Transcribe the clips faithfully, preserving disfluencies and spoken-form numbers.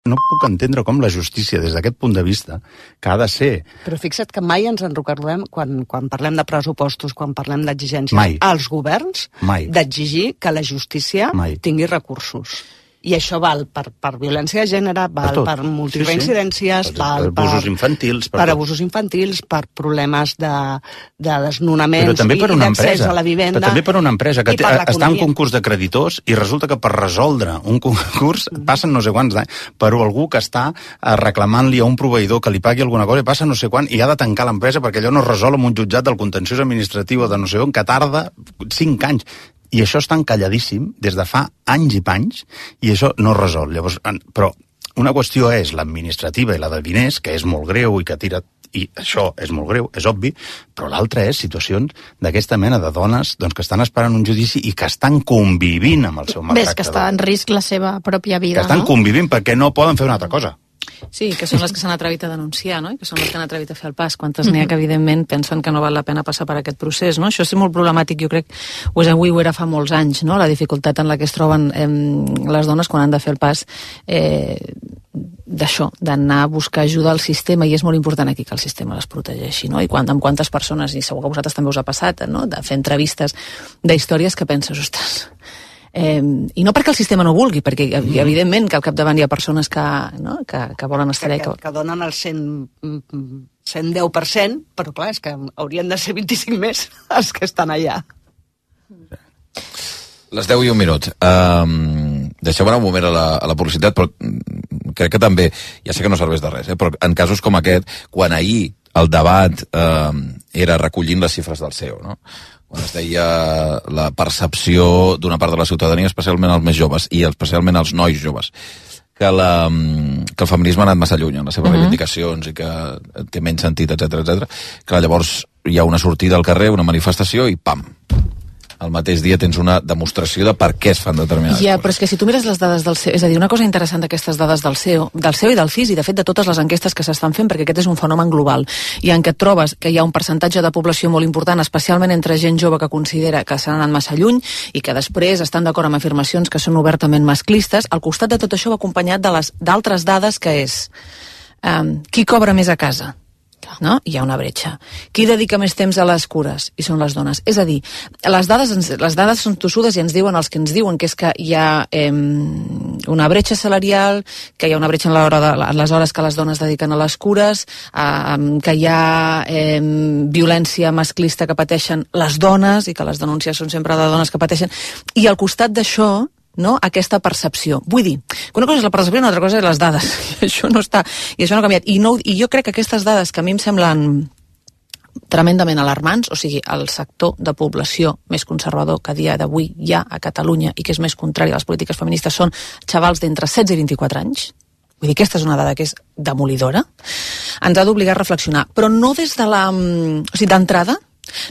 no puc entendre com la justícia, des d'aquest punt de vista, que ha de ser... Però fixa't que mai ens en recordem, quan, quan parlem de pressupostos, quan parlem d'exigències als governs, d'exigir que la justícia mai. tingui recursos. I això val per, per violència de gènere, val per, per multireincidències, sí, sí. val per abusos infantils, per, per abusos infantils, per problemes de, de desnonaments i d'accés a la vivenda. Però també per una empresa que té, està en concurs de creditors i resulta que per resoldre un concurs mm. passen no sé quants anys, però algú que està reclamant-li a un proveïdor que li pagui alguna cosa i passa no sé quan i ha de tancar l'empresa perquè allò no es resol amb un jutjat del contenciós administratiu o de no sé on, que tarda cinc anys. I això està encalladíssim des de fa anys i panys i això no es resol. Llavors, però una qüestió és l'administrativa i la de diners, que és molt greu i que tira... I això és molt greu, és obvi, però l'altra és situacions d'aquesta mena de dones doncs, que estan esperant un judici i que estan convivint amb el seu maltractador. Ves que està en risc la seva pròpia vida, que estan no? convivint perquè no poden fer una altra cosa. Sí, que són les que s'han atrevit a denunciar, no? I que són les que han atrevit a fer el pas. Quantes n'hi ha que, evidentment, pensen que no val la pena passar per aquest procés, no? Això és molt problemàtic, jo crec, ho és avui, ho era fa molts anys, no? La dificultat en la que es troben eh, les dones quan han de fer el pas eh, d'això, d'anar a buscar ajuda al sistema, i és molt important aquí que el sistema les protegeixi, no? I quan, amb quantes persones, i segur que a vosaltres també us ha passat, no? De fer entrevistes d'històries que penses, ostres... Eh, i no perquè el sistema no vulgui, perquè mm. evidentment que al capdavant hi ha persones que, no? que, que volen estar que, allà. Que, que donen el cent, cent deu per cent, però clar, és que haurien de ser vint-i-cinc més els que estan allà. Les deu i un minut. Um, deixeu anar un moment a la, a la publicitat, però crec que també, ja sé que no serveix de res, eh, però en casos com aquest, quan ahir el debat um, era recollint les xifres del C E O, no? Quan es deia la percepció d'una part de la ciutadania, especialment els més joves, i especialment els nois joves, que, la, que el feminisme ha anat massa lluny en les seves uh-huh. reivindicacions i que té menys sentit, etcètera, etcètera. Que llavors hi ha una sortida al carrer, una manifestació i pam! Al mateix dia tens una demostració de per què es fan determinades ja, coses. Però és que si tu mires les dades del C E O, és a dir, una cosa interessant d'aquestes dades del C E O, del C E O i del F I S, i de fet de totes les enquestes que s'estan fent, perquè aquest és un fenomen global, i en què et trobes que hi ha un percentatge de població molt important, especialment entre gent jove que considera que s'han anat massa lluny i que després estan d'acord amb afirmacions que són obertament masclistes. Al costat de tot això va acompanyat de les d'altres dades, que és um, qui cobra més a casa? No? Hi ha una bretxa. Qui dedica més temps a les cures? I són les dones. És a dir, les dades, les dades són tossudes i ens diuen els que ens diuen que és que hi ha eh, una bretxa salarial, que hi ha una bretxa en, l'hora de, en les hores que les dones dediquen a les cures, eh, que hi ha eh, violència masclista que pateixen les dones i que les denúncies són sempre de dones que pateixen. I al costat d'això, no? Aquesta percepció. Vull dir, que una cosa és la percepció i una altra cosa és les dades. I això no està, i això no ha canviat. I, no, I jo crec que aquestes dades que a mi em semblen tremendament alarmants, o sigui, el sector de població més conservador que a dia d'avui hi ha a Catalunya i que és més contrari a les polítiques feministes són xavals d'entre setze i vint-i-quatre anys. Vull dir, aquesta és una dada que és demolidora. Ens ha d'obligar a reflexionar, però no des de la... O sigui, d'entrada,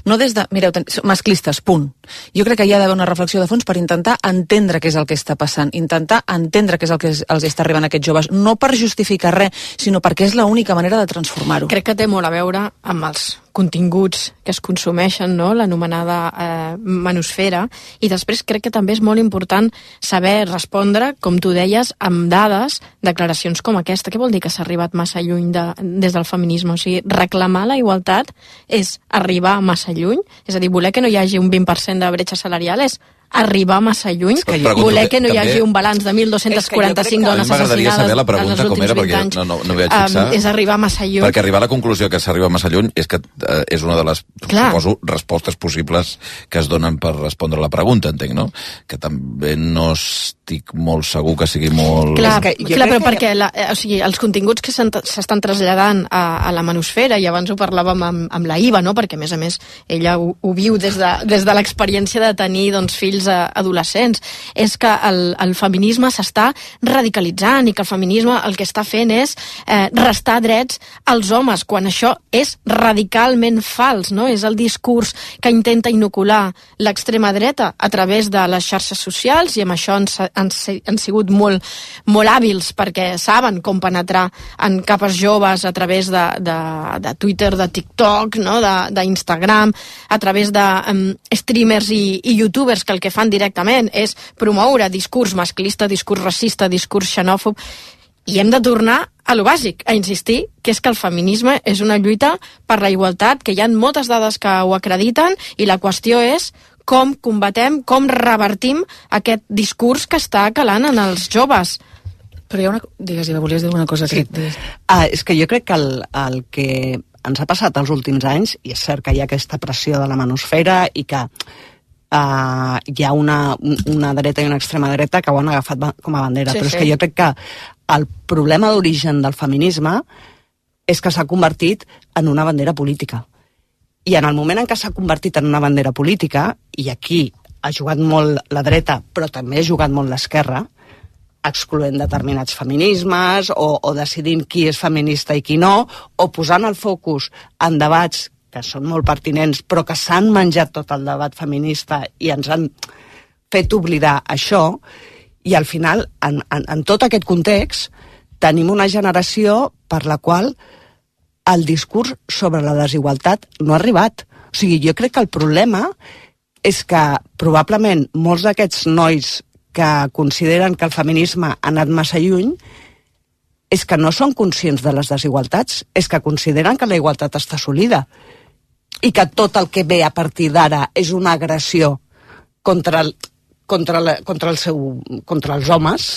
no des de... Mireu, masclistes, punt. Jo crec que hi ha d'haver una reflexió de fons per intentar entendre què és el que està passant, intentar entendre què és el que els està arribant a aquests joves, no per justificar res, sinó perquè és l'única manera de transformar-ho. Crec que té molt a veure amb els continguts que es consumeixen, no? L'anomenada eh, manosfera, i després crec que també és molt important saber respondre, com tu deies, amb dades, declaracions com aquesta. Què vol dir que s'ha arribat massa lluny de, des del feminisme? O sigui, reclamar la igualtat és arribar massa lluny? És a dir, voler que no hi hagi un vint per cent de bretxa salarial és arribar massa lluny, que voler que no hi hagi un balanç de mil dos-cents quaranta-cinc dones assassinades en els últims vint anys, no, no, no m'hi vaig fixar, um, és arribar massa lluny. Perquè arribar a la conclusió que s'arriba massa lluny és que uh, és una de les, clar, suposo, respostes possibles que es donen per respondre la pregunta, entenc, no? Que també no estic molt segur que sigui molt... Clar, que, clar però que... perquè la, o sigui, els continguts que s'estan traslladant a, a la manosfera, i abans ho parlàvem amb, amb la Iva, no? Perquè a més a més ella ho, ho viu des de, des de l'experiència de tenir doncs, fills adolescents, és que el, el feminisme s'està radicalitzant i que el feminisme el que està fent és eh, restar drets als homes, quan això és radicalment fals, no? És el discurs que intenta inocular l'extrema dreta a través de les xarxes socials, i amb això han, han, han sigut molt, molt hàbils perquè saben com penetrar en capes joves a través de, de, de Twitter, de TikTok, no? d'Instagram, a través de um, streamers i, i youtubers que el que fan directament és promoure discurs masclista, discurs racista, discurs xenòfob, I hem de tornar a lo bàsic, a insistir que és que el feminisme és una lluita per la igualtat, que hi ha moltes dades que ho acrediten, i la qüestió és com combatem, com revertim aquest discurs que està calant en els joves. Però hi ha una... Digues, Iva, volies dir una cosa? Sí. Que... Ah, és que jo crec que el, el que ens ha passat els últims anys, i és cert que hi ha aquesta pressió de la manosfera i que uh, hi ha una, una dreta i una extrema dreta que ho han agafat com a bandera, sí, però és sí. que jo crec que el problema d'origen del feminisme és que s'ha convertit en una bandera política. I en el moment en què s'ha convertit en una bandera política, i aquí ha jugat molt la dreta, però també ha jugat molt l'esquerra, excloent determinats feminismes o, o decidint qui és feminista i qui no, o posant el focus en debats que són molt pertinents però que s'han menjat tot el debat feminista i ens han fet oblidar això, i al final en, en, en tot aquest context tenim una generació per la qual el discurs sobre la desigualtat no ha arribat. O sigui, jo crec que el problema és que probablement molts d'aquests nois que consideren que el feminisme ha anat massa lluny és que no són conscients de les desigualtats, és que consideren que la igualtat està assolida i que tot el que ve a partir d'ara és una agressió contra, el, contra, la, contra, el seu, contra els homes.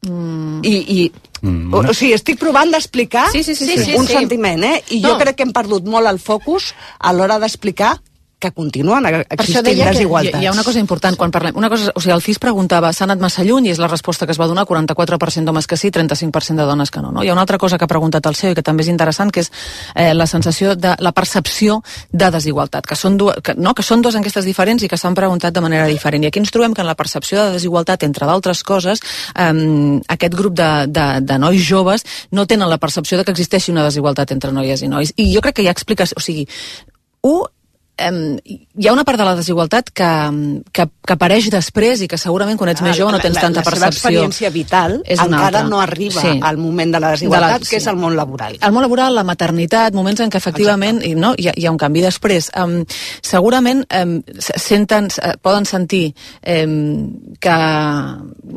Mm. I, i mm. o, o sigui, estic provant d'explicar sí, sí, sí, sí, un sí, sentiment, eh? I no. jo crec que hem perdut molt el focus a l'hora d'explicar que continuen existint desigualtats. Hi ha una cosa important quan parlem. Una cosa, o sigui, el C I S preguntava, s'ha anat massa lluny, i és la resposta que es va donar, quaranta-quatre per cent d'homes que sí, trenta-cinc per cent de dones que no, no. Hi ha una altra cosa que ha preguntat el C E O i que també és interessant, que és eh, la sensació de la percepció de desigualtat, que són, du que, no, que són dues enquestes diferents i que s'han preguntat de manera diferent. I aquí ens trobem que en la percepció de desigualtat, entre d'altres coses, eh, aquest grup de, de, de nois joves no tenen la percepció de que existeixi una desigualtat entre noies i nois. I jo crec que hi ha explicació, o sigui, u, Um, hi ha una part de la desigualtat que, que, que apareix després i que segurament quan ets ah, més jove no tens la, tanta la percepció. La seva experiència vital encara no arriba sí. al moment de la desigualtat, de la, que sí. és el món laboral. El món laboral, la maternitat, moments en què efectivament i, no, hi, ha, hi ha un canvi després. Um, segurament um, senten, poden sentir um, que,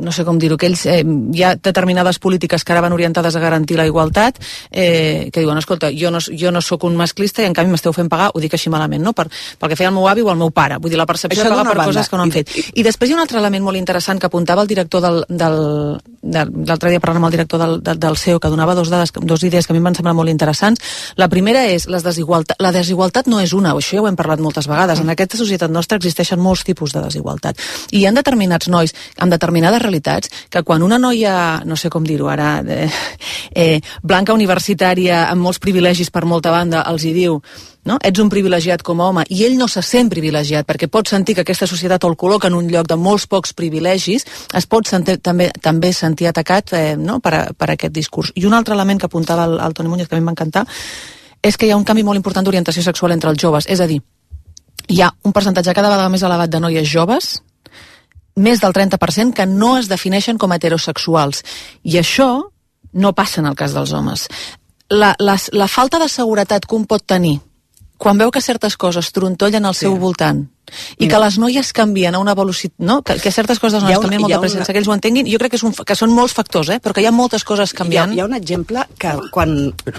no sé com dir-ho, que ells, um, hi ha determinades polítiques que ara van orientades a garantir la igualtat, eh, que diuen, escolta, jo no, jo no sóc un masclista i en canvi m'esteu fent pagar, ho dic així malament, no? Per pel que feia el meu avi o el meu pare. Vull dir, la percepció de pagar per banda. Coses que no han fet. I després hi ha un altre element molt interessant que apuntava el director del... del, del l'altre dia parlant amb el director del, del, del C E O, que donava dos, dades, dos idees que a mi em van semblar molt interessants. La primera és les desigualtat. La desigualtat no és una, això ja ho hem parlat moltes vegades. En aquesta societat nostra existeixen molts tipus de desigualtat. I hi ha determinats nois amb determinades realitats que quan una noia, no sé com dir-ho ara, eh, eh, blanca universitària amb molts privilegis per molta banda, els hi diu no? Ets un privilegiat com a home, i ell no se sent privilegiat perquè pot sentir que aquesta societat el col·loca en un lloc de molts pocs privilegis, es pot sentir, també, també sentir atacat eh, no? per, a, per aquest discurs. I un altre element que apuntava el, el Toni Muñoz, que a mi m'encanta, és que hi ha un canvi molt important d'orientació sexual entre els joves, és a dir, hi ha un percentatge cada vegada més elevat de noies joves, més del trenta per cent, que no es defineixen com a heterosexuals, i això no passa en el cas dels homes. La, la, la falta de seguretat que un pot tenir quan veu que certes coses trontollen al seu sí. voltant i que les noies canvien a una velocitat, no? que, que certes coses les noies una, canvien molt de pressa sense una... que ells ho entenguin, jo crec que, és un, que són molts factors, eh? però que hi ha moltes coses canviant. Hi ha, hi ha un exemple que quan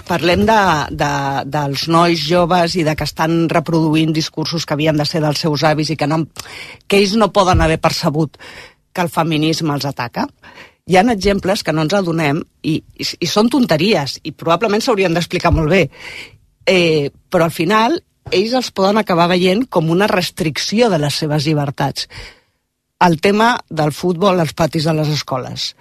parlem de, de, dels nois joves i de que estan reproduint discursos que havien de ser dels seus avis i que, no, que ells no poden haver percebut que el feminisme els ataca, hi ha exemples que no ens adonem i, i, i són tonteries i probablement s'haurien d'explicar molt bé. Eh, però al final ells els poden acabar veient com una restricció de les seves llibertats. El tema del futbol als patis de les escoles,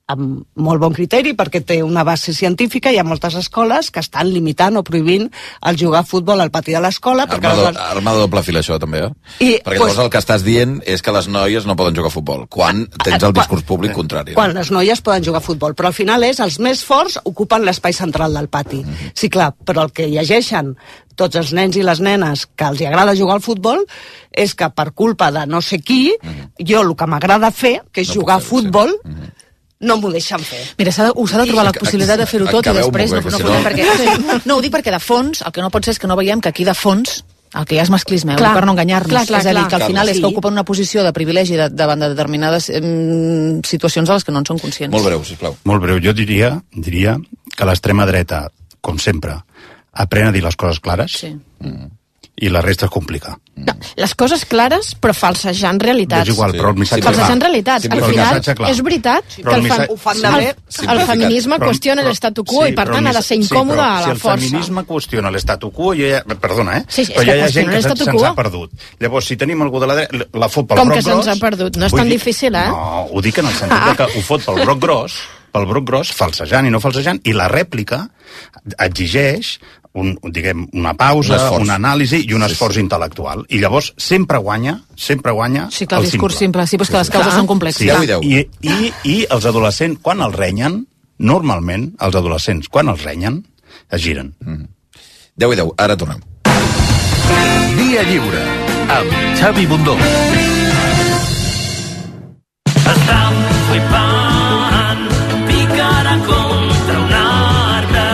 amb molt bon criteri perquè té una base científica, hi ha moltes escoles que estan limitant o prohibint el jugar a futbol al pati de l'escola. Arma, do, les... arma de doble fil això també, eh? I, perquè pues, llavors el que estàs dient és que les noies no poden jugar a futbol, quan tens el discurs públic contrari. Quan no? Les noies poden jugar a futbol, però al final és els més forts ocupen l'espai central del pati. Mm-hmm. Sí, clar, però el que llegeixen tots els nens i les nenes que els agrada jugar al futbol és que per culpa de no sé qui, mm-hmm. jo el que m'agrada fer, que és no jugar a futbol, sí. mm-hmm. no m'ho deixen fer. Mira, s'ha de, us ha de trobar la possibilitat de fer-ho tot i després no, no, no, perquè, no, ho dic perquè de fons, el que no pot ser és que no veiem que aquí de fons El que hi ha és masclisme, clar, per no enganyar-nos. Clar, clar, és a dir, que al final és que ocupen una posició de privilegi de, davant de determinades eh, situacions a les que no en són conscients. Molt breu, sisplau. Molt breu. Jo diria, diria que l'extrema dreta, com sempre, aprèn a dir les coses clares. Sí. Mm. I la resta es complica. No, les coses clares, però falsejant realitats. És igual, però el missatge... Sí, falsejant realitats. Al final, és veritat sí, que el, fa... el, el feminisme però, qüestiona l'estatu quo sí, i, per tant, ha de ser incòmode sí, a la si força. Si el feminisme qüestiona l'estatu quo, ja... perdona, eh? Sí, sí, però ja hi ha gent que se'ns ha perdut. Llavors, si tenim algú de la dreta, la fot pel Com broc que se'ns ha perdut? No és tan difícil, eh? No, ho dic en el sentit ah. que ho fot pel broc gros, pel broc gros, falsejant i no falsejant, i la rèplica exigeix un, diguem, una pausa, un una anàlisi i un esforç sí, sí. intel·lectual. I llavors sempre guanya, sempre guanya sí, clar, el discurs simple. Sí, però és que les causes clar, són complexes. Sí, i, i, I els adolescents, quan els renyen, normalment, els adolescents, quan els renyen, es giren. Mm. deu i deu, ara tornem. Via Lliure, amb Xavi Bundó. Estan flipant, picarà contra un arbre,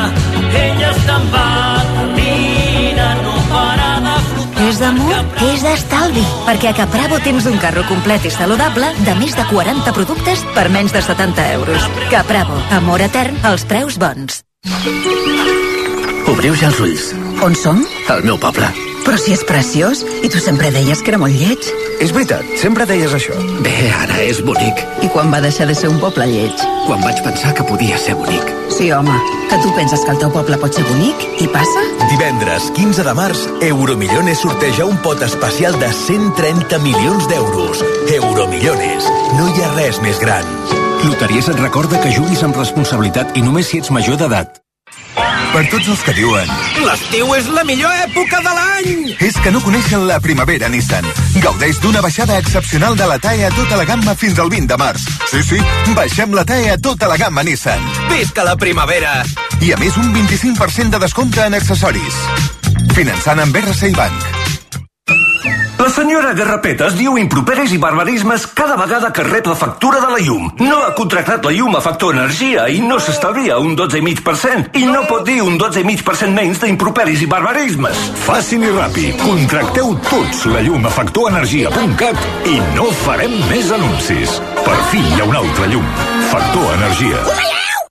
ella està embatumina, no para de flotar. És d'amor? És d'estalvi, perquè a Capravo tens un carro complet i saludable de més de quaranta productes per menys de setanta euros. Capravo, amor etern als preus bons. Obriu ja els ulls. On som? Al meu poble. Però si és preciós, i tu sempre deies que era molt lleig. És veritat, sempre deies això. Bé, ara és bonic. I quan va deixar de ser un poble lleig? Quan vaig pensar que podia ser bonic. Sí, home, que tu penses que el teu poble pot ser bonic, i passa? Divendres quinze de març, Euromillones sorteja un pot especial de cent trenta milions d'euros. Euromillones, no hi ha res més gran. Loteries et recorda que juguis amb responsabilitat i només si ets major d'edat. Per tots els que diuen l'estiu és la millor època de l'any! És que no coneixen la primavera Nissan. Gaudeix d'una baixada excepcional de la T A E a tota la gamma fins al vint de març. Sí, sí, baixem la T A E a tota la gamma Nissan. Visca la primavera! I a més un vint-i-cinc per cent de descompte en accessoris. Finançant amb R C I Bank. La senyora Garrapetes diu improperis i barbarismes cada vegada que rep la factura de la llum. No ha contractat la llum a Factor Energia i no s'estalvia un dotze coma cinc per cent. I no pot dir un dotze coma cinc per cent menys d'improperis i barbarismes. Fàcil i ràpid. Contracteu tots la llum a factor energia punt cat i no farem més anuncis. Per fi hi ha una altra llum. Factor Energia.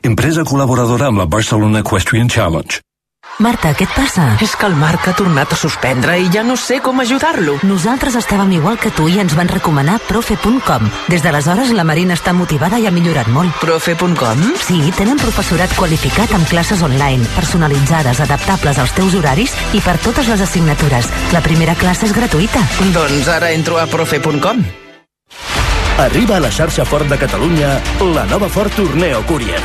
Empresa col·laboradora amb la Barcelona Equestrian Challenge. Marta, què et passa? És que el Marc ha tornat a suspendre i ja no sé com ajudar-lo. Nosaltres estàvem igual que tu i ens van recomanar profe punt com. Des d'aleshores la Marina està motivada i ha millorat molt. profe punt com? Sí, tenen professorat qualificat amb classes online, personalitzades, adaptables als teus horaris i per totes les assignatures. La primera classe és gratuïta. Doncs ara entro a profe punt com. Arriba a la xarxa Ford de Catalunya la nova Ford Tourneo Courier.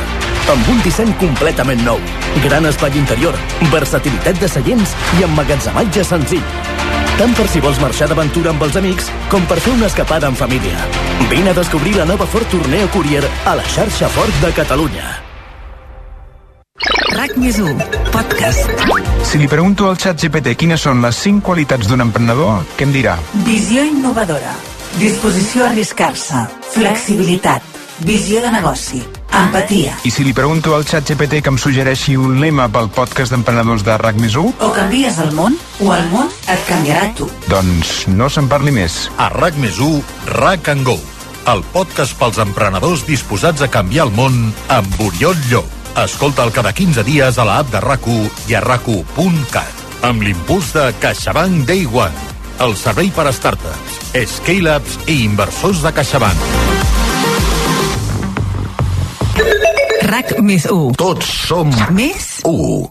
Amb un disseny completament nou, gran espai interior, versatilitat de seients i emmagatzematge senzill. Tant per si vols marxar d'aventura amb els amics com per fer una escapada en família. Vine a descobrir la nova Ford Tourneo Courier a la xarxa Ford de Catalunya. RAC més u, podcast. Si li pregunto al ChatGPT quines són les cinc qualitats d'un emprenedor, què em dirà? Visió innovadora, disposició a arriscar-se, flexibilitat, visió de negoci, empatia. I si li pregunto al ChatGPT que em suggereixi un lema pel podcast d'emprenedors de RAC més u? O canvies el món, o el món et canviarà tu. Doncs no se'n parli més. A RAC més u, RAC and Go, el podcast pels emprenedors disposats a canviar el món amb Oriol Llop. Escolta'l cada quinze dies a l'app de RAC u i a rac u punt cat. Amb l'impuls de CaixaBank Day One, el servei per a startups, scale-ups i inversors de CaixaBank. RAC més u. Tots som més u.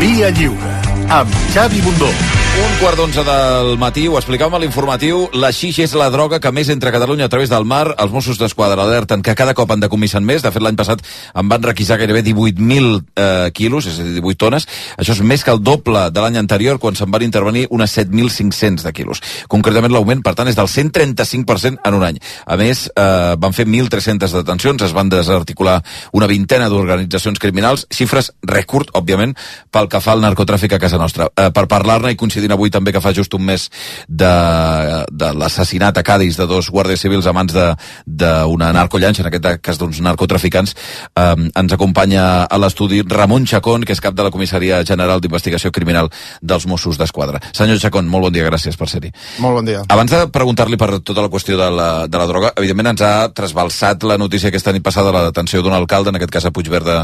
Via Lliure, amb Xavi Bundó. Un quart d'onze del matí, ho explicàvem a l'informatiu, la xix és la droga que més entra a Catalunya a través del mar. Els Mossos d'Esquadra alerten que cada cop en decomissen més. De fet, l'any passat en van requisar gairebé divuit mil eh, quilos, és a dir, divuit tones. Això és més que el doble de l'any anterior, quan se'n van intervenir unes set mil cinc-cents de quilos. Concretament, l'augment, per tant, és del cent trenta-cinc per cent en un any. A més, eh, van fer mil tres-centes detencions, es van desarticular una vintena d'organitzacions criminals, xifres rècord, òbviament, pel que fa al narcotràfic a casa nostra. Eh, per parlar-ne i coincidir coincidint avui també que fa just un mes de, de l'assassinat a Cádiz de dos guàrdies civils a mans d'una narcollanxa, en aquest cas d'uns narcotraficants. Eh, ens acompanya a l'estudi Ramon Chacón, que és cap de la Comissaria General d'Investigació Criminal dels Mossos d'Esquadra. Senyor Chacón, molt bon dia, gràcies per ser-hi. Molt bon dia. Abans de preguntar-li per tota la qüestió de la, de la droga, evidentment ens ha trasbalsat la notícia aquesta nit passada de la detenció d'un alcalde, en aquest cas a Puigverd de,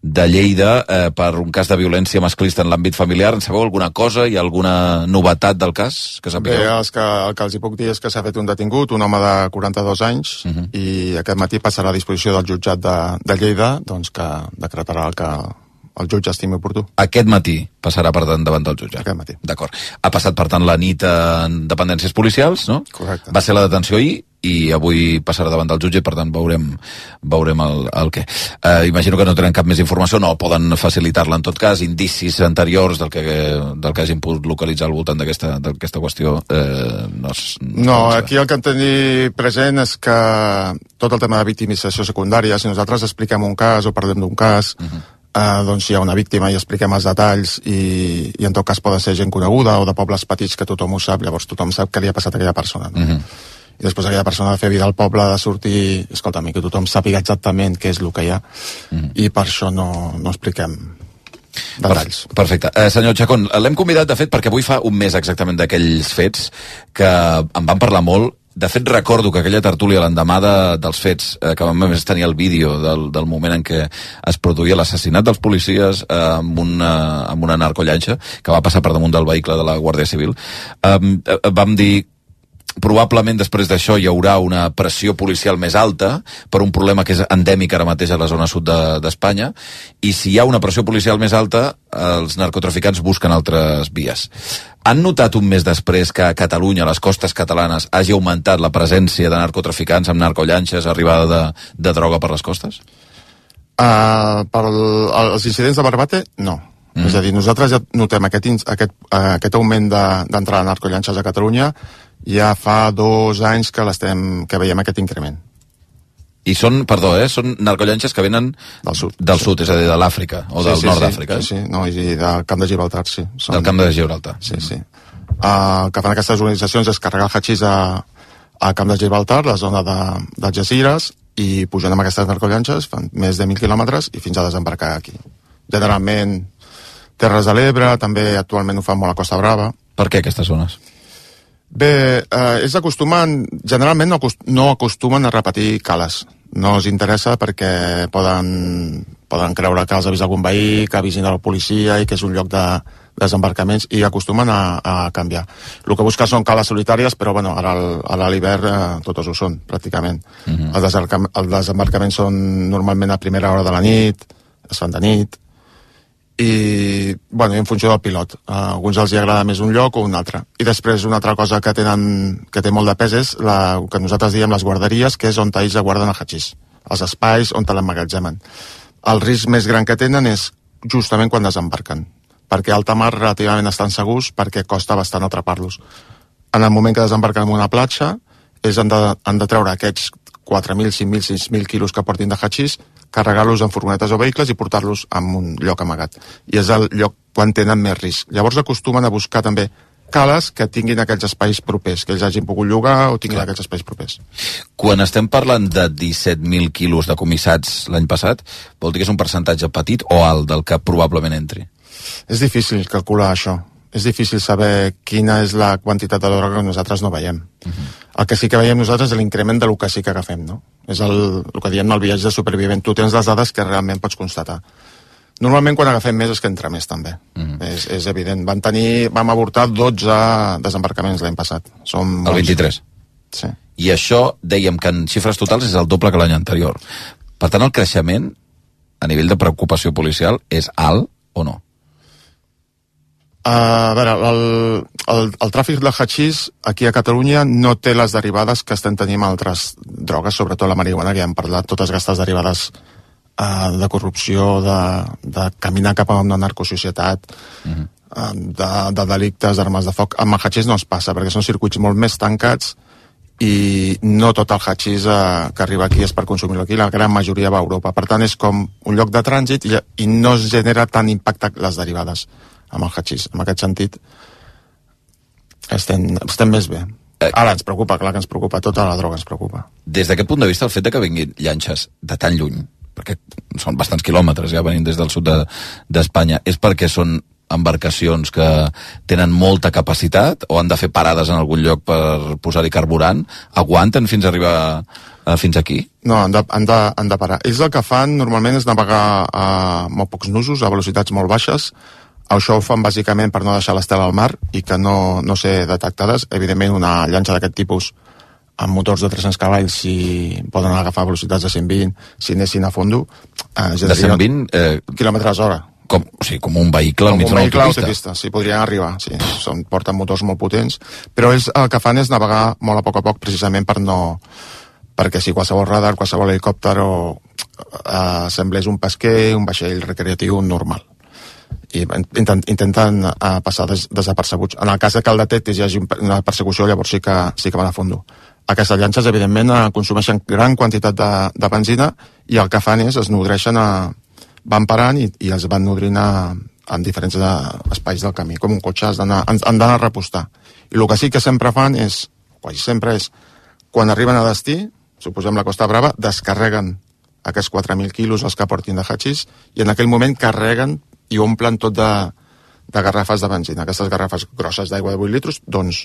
de Lleida, eh, per un cas de violència masclista en l'àmbit familiar. En sabeu alguna cosa? Hi ha alguna novetat del cas que sapigueu? Bé, els que, el que els hi puc dir és que s'ha fet un detingut, un home de quaranta-dos anys, uh -huh. i aquest matí passarà a disposició del jutjat de, de Lleida, doncs que decretarà el que el jutge estimi oportú. Aquest matí passarà, per tant, davant del jutge? Aquest matí. D'acord. Ha passat, per tant, la nit en dependències policials, no? Correcte. Va ser la detenció ahir, i avui passarà davant del jutge, i per tant veurem, veurem el, el què. Eh, imagino que no tenen cap més informació, no poden facilitar-la en tot cas, indicis anteriors del que, del que hagin pogut localitzar al voltant d'aquesta qüestió. Eh, no, es, no, no aquí el que hem de tenir present és que tot el tema de victimització secundària, si nosaltres expliquem un cas o parlem d'un cas, uh-huh. Uh, doncs hi ha una víctima i expliquem els detalls i, i en tot cas pot ser gent coneguda o de pobles petits que tothom ho sap, llavors tothom sap què li ha passat a aquella persona, no? Uh-huh. I després aquella persona de fer vida al poble, de sortir, escolta'm, que tothom sàpiga exactament què és el que hi ha, uh-huh. i per això no, no expliquem detalls. Perfecte. Eh, senyor Chacón, l'hem convidat, de fet, perquè avui fa un mes exactament d'aquells fets que en van parlar molt. De fet, recordo que aquella tertúlia l'endemà de, dels fets, eh, que vam més tenir el vídeo del, del moment en què es produïa l'assassinat dels policies eh, amb, una, amb una narcollanxa que va passar per damunt del vehicle de la Guàrdia Civil, eh, eh, vam dir probablement després d'això hi haurà una pressió policial més alta per un problema que és endèmic ara mateix a la zona sud d'Espanya, de, i si hi ha una pressió policial més alta, els narcotraficants busquen altres vies. Han notat un mes després que a Catalunya, a les costes catalanes, hagi augmentat la presència de narcotraficants amb narcollanxes, arribada de, de droga per les costes? Uh, per el, els incidents de Barbate, no. Mm. És a dir, nosaltres ja notem aquest, aquest, uh, aquest augment d'entrada de, de narcollanxes a Catalunya ja fa dos anys que, que veiem aquest increment. I són, perdó, eh, són narcollanxes que venen del sud, del sí. sud, és a dir, de l'Àfrica, o sí, del sí, nord sí, d'Àfrica. Sí, sí, no, i del camp de Gibraltar, sí. Són... Del camp de Gibraltar. Sí, sí. Uh, el que fan aquestes organitzacions és carregar el hachís a, a camp de Gibraltar, la zona de, de Algeciras, i pujant amb aquestes narcollanxes, fan més de mil quilòmetres, i fins a desembarcar aquí. Generalment, Terres de l'Ebre, també actualment ho fan molt a Costa Brava. Per què aquestes zones? Bé, eh, és acostumen, generalment no, acost, no acostumen a repetir cales. No els interessa perquè poden, poden creure que els ha vist algun veí, que avisen a la policia i que és un lloc de desembarcaments, i acostumen a, a canviar. El que busca són cales solitàries, però bueno, ara a l'hivern eh, totes ho són, pràcticament. Uh-huh. Els, desembarcam, els desembarcaments són normalment a primera hora de la nit, es fan de nit, i, bueno, en funció del pilot. A alguns els hi agrada més un lloc o un altre. I després una altra cosa que tenen que té molt de pes és la, que nosaltres diem les guarderies, que és on ells guarden el hachís, els espais on l'emmagatzemen. El risc més gran que tenen és justament quan desembarquen, perquè a alta mar relativament estan segurs, perquè costa bastant atrapar-los. En el moment que desembarquen en una platja, ells han de, han de treure aquests quatre mil, cinc mil, sis mil quilos que portin de hachís, carregar-los en furgonetes o vehicles i portar-los a un lloc amagat. I és el lloc quan tenen més risc. Llavors acostumen a buscar també cales que tinguin aquells espais propers, que ells hagin pogut llogar o tinguin Clar. aquells espais propers. Quan estem parlant de disset mil quilos decomissats l'any passat, vol dir que és un percentatge petit o alt del que probablement entri? És difícil calcular això. És difícil saber quina és la quantitat de droga que nosaltres no veiem. Uh-huh. El que sí que veiem nosaltres és l'increment de lo que sí que agafem, no? És el, el que diem el viatge de supervivent. Tu tens les dades que realment pots constatar. Normalment quan agafem més és que entra més també. Uh-huh. és, és evident. Van tenir, vam avortar dotze desembarcaments l'any passat. Som el vint-i-tres? Sí. I això, dèiem que en xifres totals és el doble que l'any anterior. Per tant, el creixement a nivell de preocupació policial és alt o no? Uh, a veure, el, el, el tràfic de hachís aquí a Catalunya no té les derivades que estem tenint amb altres drogues, sobretot la marihuana, que ja hem parlat, totes aquestes derivades uh, de corrupció, de, de caminar cap a una narcosocietat, uh-huh. uh, de, de delictes, d'armes de foc. Amb el hachís no es passa, perquè són circuits molt més tancats i no tot el hachís uh, que arriba aquí és per consumir-lo aquí, la gran majoria va a Europa. Per tant, és com un lloc de trànsit i, i no es genera tant impacte les derivades amb el hachís. En aquest sentit, Estem, estem més bé. Ara ens preocupa, clar que ens preocupa, tota la droga ens preocupa. Des d'aquest punt de vista, el fet de que vinguin llanxes de tan lluny, perquè són bastants quilòmetres ja venint des del sud d'Espanya, de, és perquè són embarcacions que tenen molta capacitat o han de fer parades en algun lloc per posar-hi carburant? Aguanten fins a arribar a, fins aquí? No, han de, han, de, han de parar. Ells el que fan normalment és navegar a molt pocs nusos, a velocitats molt baixes. Això ho fan bàsicament per no deixar l'estela al mar i que no, no ser detectades. Evidentment, una llanxa d'aquest tipus amb motors de tres-cents cavalls, si poden agafar velocitats de cent vint, si anessin a fondo... Eh, de cent vint? Eh, quilòmetres hora. Com, o sigui, com un vehicle al mig d'una autopista. Com un vehicle autopista, sí, podrien arribar. Sí. Són, porten motors molt potents, però ells el que fan és navegar molt a poc a poc, precisament per no... perquè si qualsevol radar, qualsevol helicòpter o eh, semblés un pesquer, un vaixell recreatiu normal. I intenten, intenten uh, passar des, desapercebuts. En el cas que el detectis hi hagi una persecució, llavors sí que, sí que van a fondo. Aquestes llanxes, evidentment, uh, consumeixen gran quantitat de, de benzina i el que fan és, es nodreixen, a, van parant i, i els van nodrint a, en diferents de, espais del camí. Com un cotxe, han d'anar a repostar. I el que sí que sempre fan és, quasi sempre és, quan arriben a destí, suposem la Costa Brava, descarreguen aquests quatre mil quilos els que portin de hachís i en aquell moment carreguen i omplen tot de, de garrafes de benzina. Aquestes garrafes grosses d'aigua de vuit litres, doncs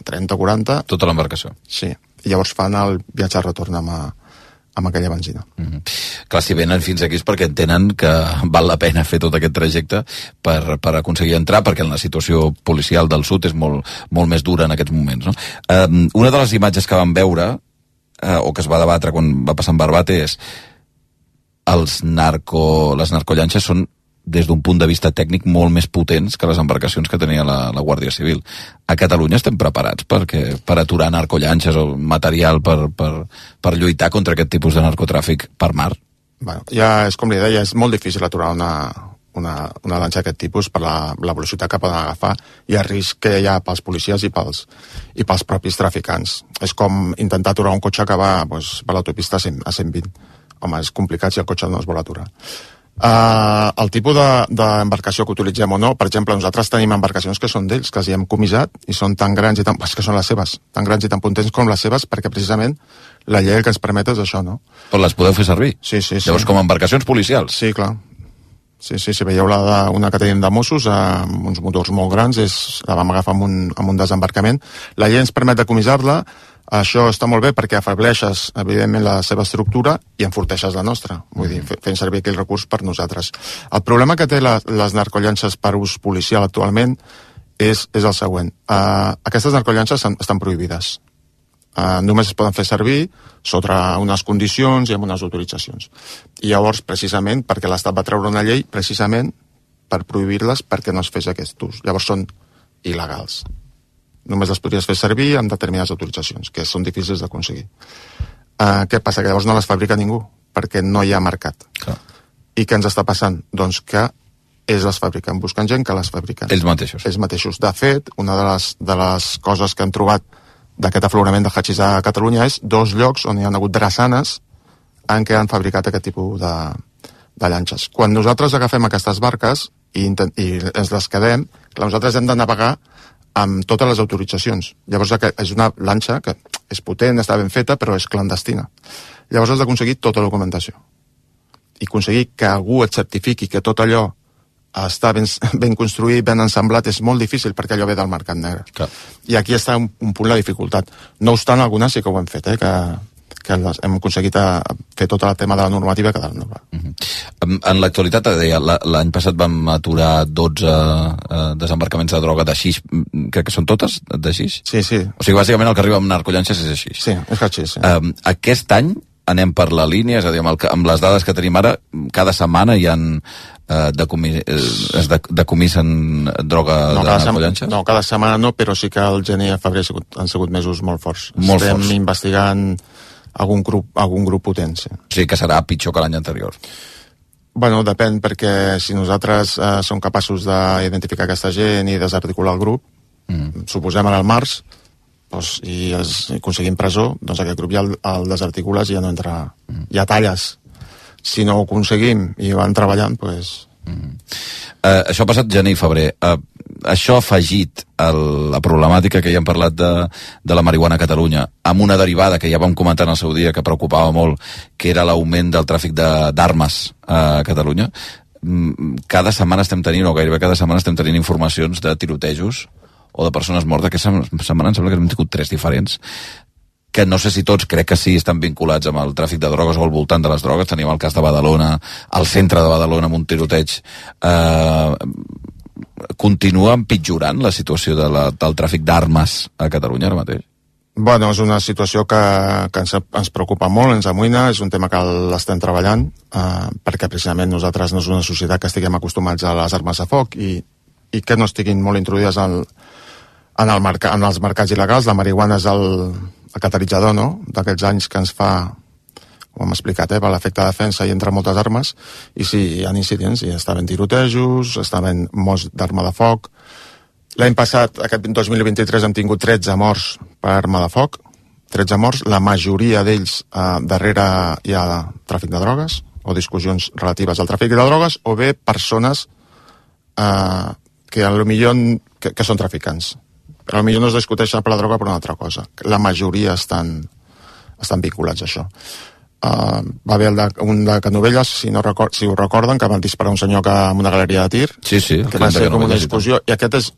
trenta o quaranta... Tota l'embarcació. Sí. I llavors fan el viatge de retorn amb, a, amb aquella benzina. Mm-hmm. Clar, si venen fins aquí és perquè entenen que val la pena fer tot aquest trajecte per, per aconseguir entrar, perquè la situació policial del sud és molt, molt més dura en aquests moments. No? Um, una de les imatges que vam veure, uh, o que es va debatre quan va passar en Barbate, és els narco, les narcollanxes són des d'un punt de vista tècnic molt més potents que les embarcacions que tenia la, la Guàrdia Civil. A Catalunya estem preparats perquè, per aturar narcollanxes o material per, per, per lluitar contra aquest tipus de narcotràfic per mar? Bueno, ja és com li deia, és molt difícil aturar una, una, una lanxa d'aquest tipus per la, la velocitat que poden agafar i el risc que hi ha pels policies i pels, i pels propis traficants. És com intentar aturar un cotxe que va doncs, per l'autopista a cent vint. Home, és complicat si el cotxe no es vol aturar. Uh, el tipus d'embarcació que utilitzem o no, per exemple, nosaltres tenim embarcacions que són d'ells, que els hi hem comissat i són tan grans i tan... és que són les seves, tan grans i tan potents com les seves, perquè precisament la llei que ens permet és això, no? Però les podeu fer servir? Sí, sí, sí. Llavors, com a embarcacions policials? Sí, clar. Sí, sí, si veieu la de, una que tenim de Mossos, amb uns motors molt grans, és, la vam agafar amb un, amb un desembarcament. La llei ens permet de comissar-la. Això està molt bé perquè afebleixes, evidentment, la seva estructura i enforteixes la nostra. Vull dir, fent servir aquell recurs per nosaltres. El problema que té la, les narcollanxes per ús policial actualment és, és el següent. Uh, aquestes narcollanxes estan prohibides. Uh, només es poden fer servir sota unes condicions i amb unes autoritzacions. I llavors, precisament, perquè l'Estat va treure una llei, precisament per prohibir-les perquè no es fes aquest ús. Llavors són il·legals. Només les podries fer servir amb determinades autoritzacions, que són difícils d'aconseguir. Uh, què passa? Que llavors no les fabrica ningú, perquè no hi ha mercat. Clar. I què ens està passant? Doncs que ells les fabriquen, busquen gent que les fabriquen. Ells mateixos. Ells mateixos. De fet, una de les, de les coses que han trobat d'aquest aflorament de hachís a Catalunya és dos llocs on hi ha hagut drassanes en què han fabricat aquest tipus de, de llanxes. Quan nosaltres agafem aquestes barques i, i ens les quedem, clar, nosaltres hem de navegar amb totes les autoritzacions. Llavors és una lanxa que és potent, està ben feta, però és clandestina. Llavors has d'aconseguir tota la documentació. I aconseguir que algú et certifiqui que tot allò està ben, ben construït, ben ensamblat, és molt difícil perquè allò ve del mercat negre. Clar. I aquí està un, un punt de dificultat. No obstant, algunes sí que ho hem fet, eh, que, que hem aconseguit a fer tot el tema de la normativa que de la uh-huh. En, en l'actualitat, deia, l'any passat vam aturar dotze uh, desembarcaments de droga de xix, crec que són totes de xix? Sí, sí. O sigui, bàsicament el que arriba amb narcollanxes és així. Sí, és xix, sí. Um, aquest any anem per la línia, és a dir, amb, el, amb les dades que tenim ara, cada setmana hi ha uh, decomis, uh, es decomissen droga no, de narcollanxes? No, cada setmana no, però sí que el gener i el febrer han sigut, han sigut mesos molt forts. Molt Estem forts. investigant algun grup, algun grup potent, sí. O sigui que serà pitjor que l'any anterior. Bueno, depèn, perquè si nosaltres eh, som capaços d'identificar aquesta gent i desarticular el grup, mm. suposem ara al març, doncs, i, es, i aconseguim presó, doncs aquest grup ja el, el desarticules i ja no entra, mm. ja talles. Si no ho aconseguim i van treballant, doncs... Mm. Uh, això ha passat gener i febrer. Uh, això afegit a la problemàtica que ja hem parlat de, de la marihuana a Catalunya, amb una derivada que ja vam comentar en el seu dia que preocupava molt, que era l'augment del tràfic d'armes a Catalunya, cada setmana estem tenint, o gairebé cada setmana estem tenint informacions de tirotejos o de persones mortes. Aquesta setmana em sembla que hem tingut tres diferents, que no sé si tots, crec que sí, estan vinculats amb el tràfic de drogues o al voltant de les drogues. Tenim el cas de Badalona, al centre de Badalona, amb un tiroteig. Eh, continua empitjorant la situació de la, del tràfic d'armes a Catalunya ara mateix? Bueno, és una situació que, que ens, ens preocupa molt, ens amoïna, és un tema que l'estem treballant, eh, perquè precisament nosaltres no és una societat que estiguem acostumats a les armes de foc i, i que no estiguin molt introduïdes en, en, el merc en els mercats il·legals. La marihuana és el el catalitzador, no?, d'aquests anys que ens fa, com hem explicat, eh, per l'efecte de defensa i entre moltes armes, i sí, hi ha incidents, hi estaven tirotejos, estaven morts d'arma de foc. L'any passat, aquest dos mil vint-i-tres, hem tingut tretze morts per arma de foc, tretze morts, la majoria d'ells eh, darrere hi ha tràfic de drogues, o discussions relatives al tràfic de drogues, o bé persones eh, que potser que, que són traficants. Però potser no es discuteixen per la droga per una altra cosa. La majoria estan, estan vinculats a això. Uh, va haver el de, un de Canovelles, si, no record, si ho recorden, que van disparar un senyor que, en una galeria de tir, sí, sí, que va ser com una discussió, i aquest és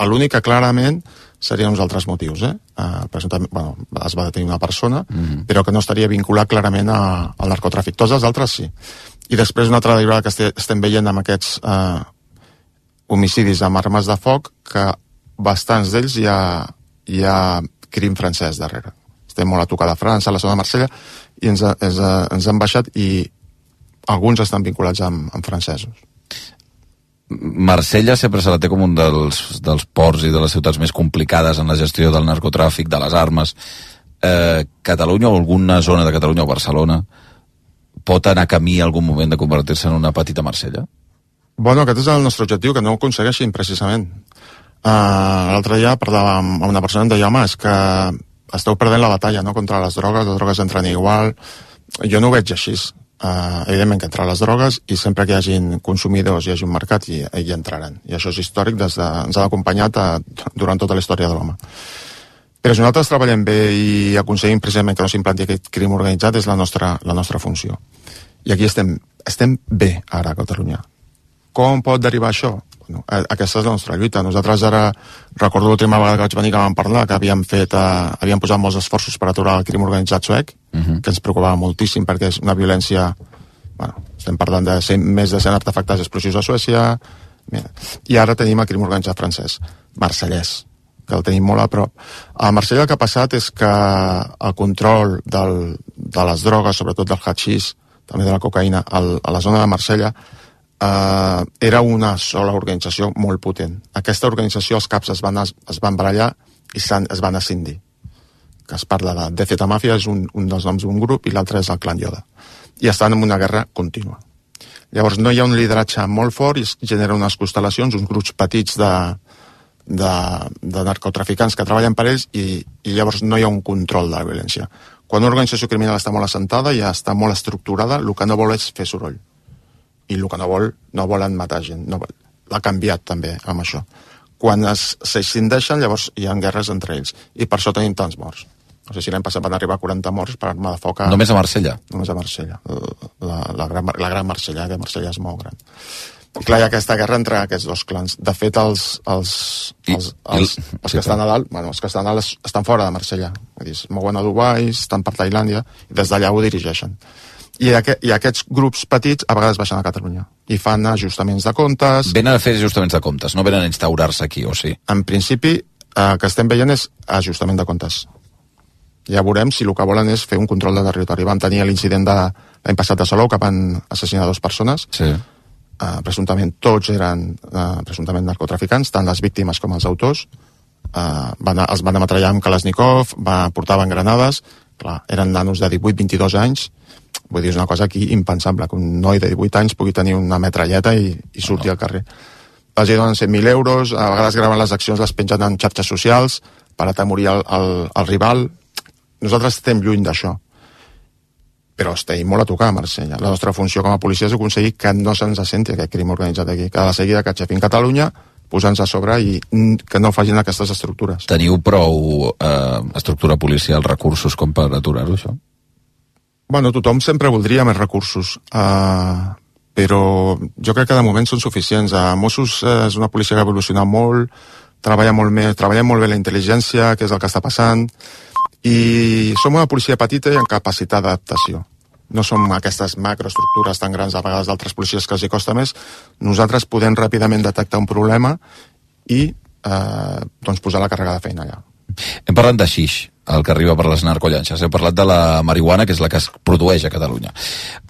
l'únic que clarament serien uns altres motius. Eh? Uh, bueno, es va detenir una persona, mm-hmm. però que no estaria vinculat clarament a, al narcotràfic. Tots els altres sí. I després una altra derivada que este, estem veient amb aquests uh, homicidis amb armes de foc, que bastants d'ells hi ha, hi ha crim francès darrere. Estem molt a tocar de França, a la zona de Marsella, i ens, ens, ens han baixat, i alguns estan vinculats amb, amb francesos. Marsella sempre se la té com un dels, dels ports i de les ciutats més complicades en la gestió del narcotràfic, de les armes. Eh, Catalunya o alguna zona de Catalunya o Barcelona pot anar camí en algun moment de convertir-se en una petita Marsella? Bueno, aquest és el nostre objectiu, que no ho aconsegueixin precisament. Uh, l'altre dia parlava amb una persona i em deia, home, és que esteu perdent la batalla, no?, contra les drogues, les drogues entren igual. Jo no ho veig així. Uh, evidentment que entren les drogues, i sempre que hi hagin consumidors, hi hagi un mercat, i hi entraran. I això és històric, des de, ens ha acompanyat a, durant tota la història de l'home. Però si nosaltres treballem bé i aconseguim precisament que no s'implanti aquest crim organitzat, és la nostra, la nostra funció. I aquí estem, estem bé ara a Catalunya. Com pot derivar això? Bueno, aquesta és la nostra lluita. Nosaltres ara, recordo l'última vegada que vaig venir que vam parlar, que havíem fet, eh, havíem posat molts esforços per aturar el crim organitzat suec, uh-huh. que ens preocupava moltíssim perquè és una violència, bueno, estem parlant de cent, més de cent artefactes explosius a Suècia, mira, i ara tenim el crim organitzat francès, marsellès, que el tenim molt a prop. A Marsella el que ha passat és que el control del, de les drogues, sobretot del hatxís, també de la cocaïna, al, a la zona de Marsella, Uh, era una sola organització molt potent. Aquesta organització, els caps es van, es, es van barallar i es van escindir. Que es parla de D Z Mafia, és un, un dels noms d'un grup, i l'altre és el clan Yoda. I estan en una guerra contínua. Llavors no hi ha un lideratge molt fort i es generen unes constel·lacions, uns grups petits de, de, de narcotraficants que treballen per ells, i, i llavors no hi ha un control de la violència. Quan una organització criminal està molt assentada i ja està molt estructurada, el que no vol és fer soroll. I el que no vol, no volen matar gent. No, l'ha canviat també amb això. Quan s'escindeixen, llavors hi ha guerres entre ells. I per això tenim tants morts. No sé si l'any passat van arribar a quaranta morts per arma de foc. A... Només a Marsella? Només a Marsella. La, la, gran, la gran Marsella, que Marsella és molt gran. I clar, hi ha aquesta guerra entre aquests dos clans. De fet, els, els, els, els, els, els que estan a dalt, bueno, els que estan a dalt estan fora de Marsella. Vull dir, es mouen a Dubai, estan per Tailàndia, i des d'allà ho dirigeixen. I, aquest, i aquests grups petits a vegades baixen a Catalunya i fan ajustaments de comptes. Venen a fer ajustaments de comptes, no venen a instaurar-se aquí, o sí? En principi, el que estem veient és ajustament de comptes. Ja veurem si el que volen és fer un control de territori. Vam tenir l'incident de l'any passat de Salou, que van assassinar dues persones. Sí. Uh, presumptament tots eren uh, presumptament narcotraficants, tant les víctimes com els autors. Uh, van, els van ametrallar amb Kalashnikov, va, portaven granades. Clar, eren nanos de divuit a vint-i-dos anys. Vull dir, és una cosa aquí impensable, que un noi de divuit anys pugui tenir una metralleta i, i surti al carrer. Els hi donen cent mil euros, a vegades graven les accions, les pengen en xarxes socials per atemorir el, el, el rival. Nosaltres estem lluny d'això. Però estem molt a tocar a Marsella. La nostra funció com a policia és aconseguir que no se'ns assenti aquest crim organitzat aquí. Que a la seguida que aixafin Catalunya, posant-se a sobre i que no facin aquestes estructures. Teniu prou eh, estructura policial, recursos com per aturar-ho, això? Bueno, tothom sempre voldria més recursos, uh, però jo crec que de moment són suficients. Uh, Mossos uh, és una policia que ha evolucionat molt, treballa molt més, treballa molt bé la intel·ligència, que és el que està passant, i som una policia petita i amb capacitat d'adaptació. No som aquestes macroestructures tan grans a vegades d'altres policies que els hi costa més. Nosaltres podem ràpidament detectar un problema i eh, doncs posar la càrrega de feina allà. Hem parlat de xix, el que arriba per les narcollanxes. Hem parlat de la marihuana, que és la que es produeix a Catalunya.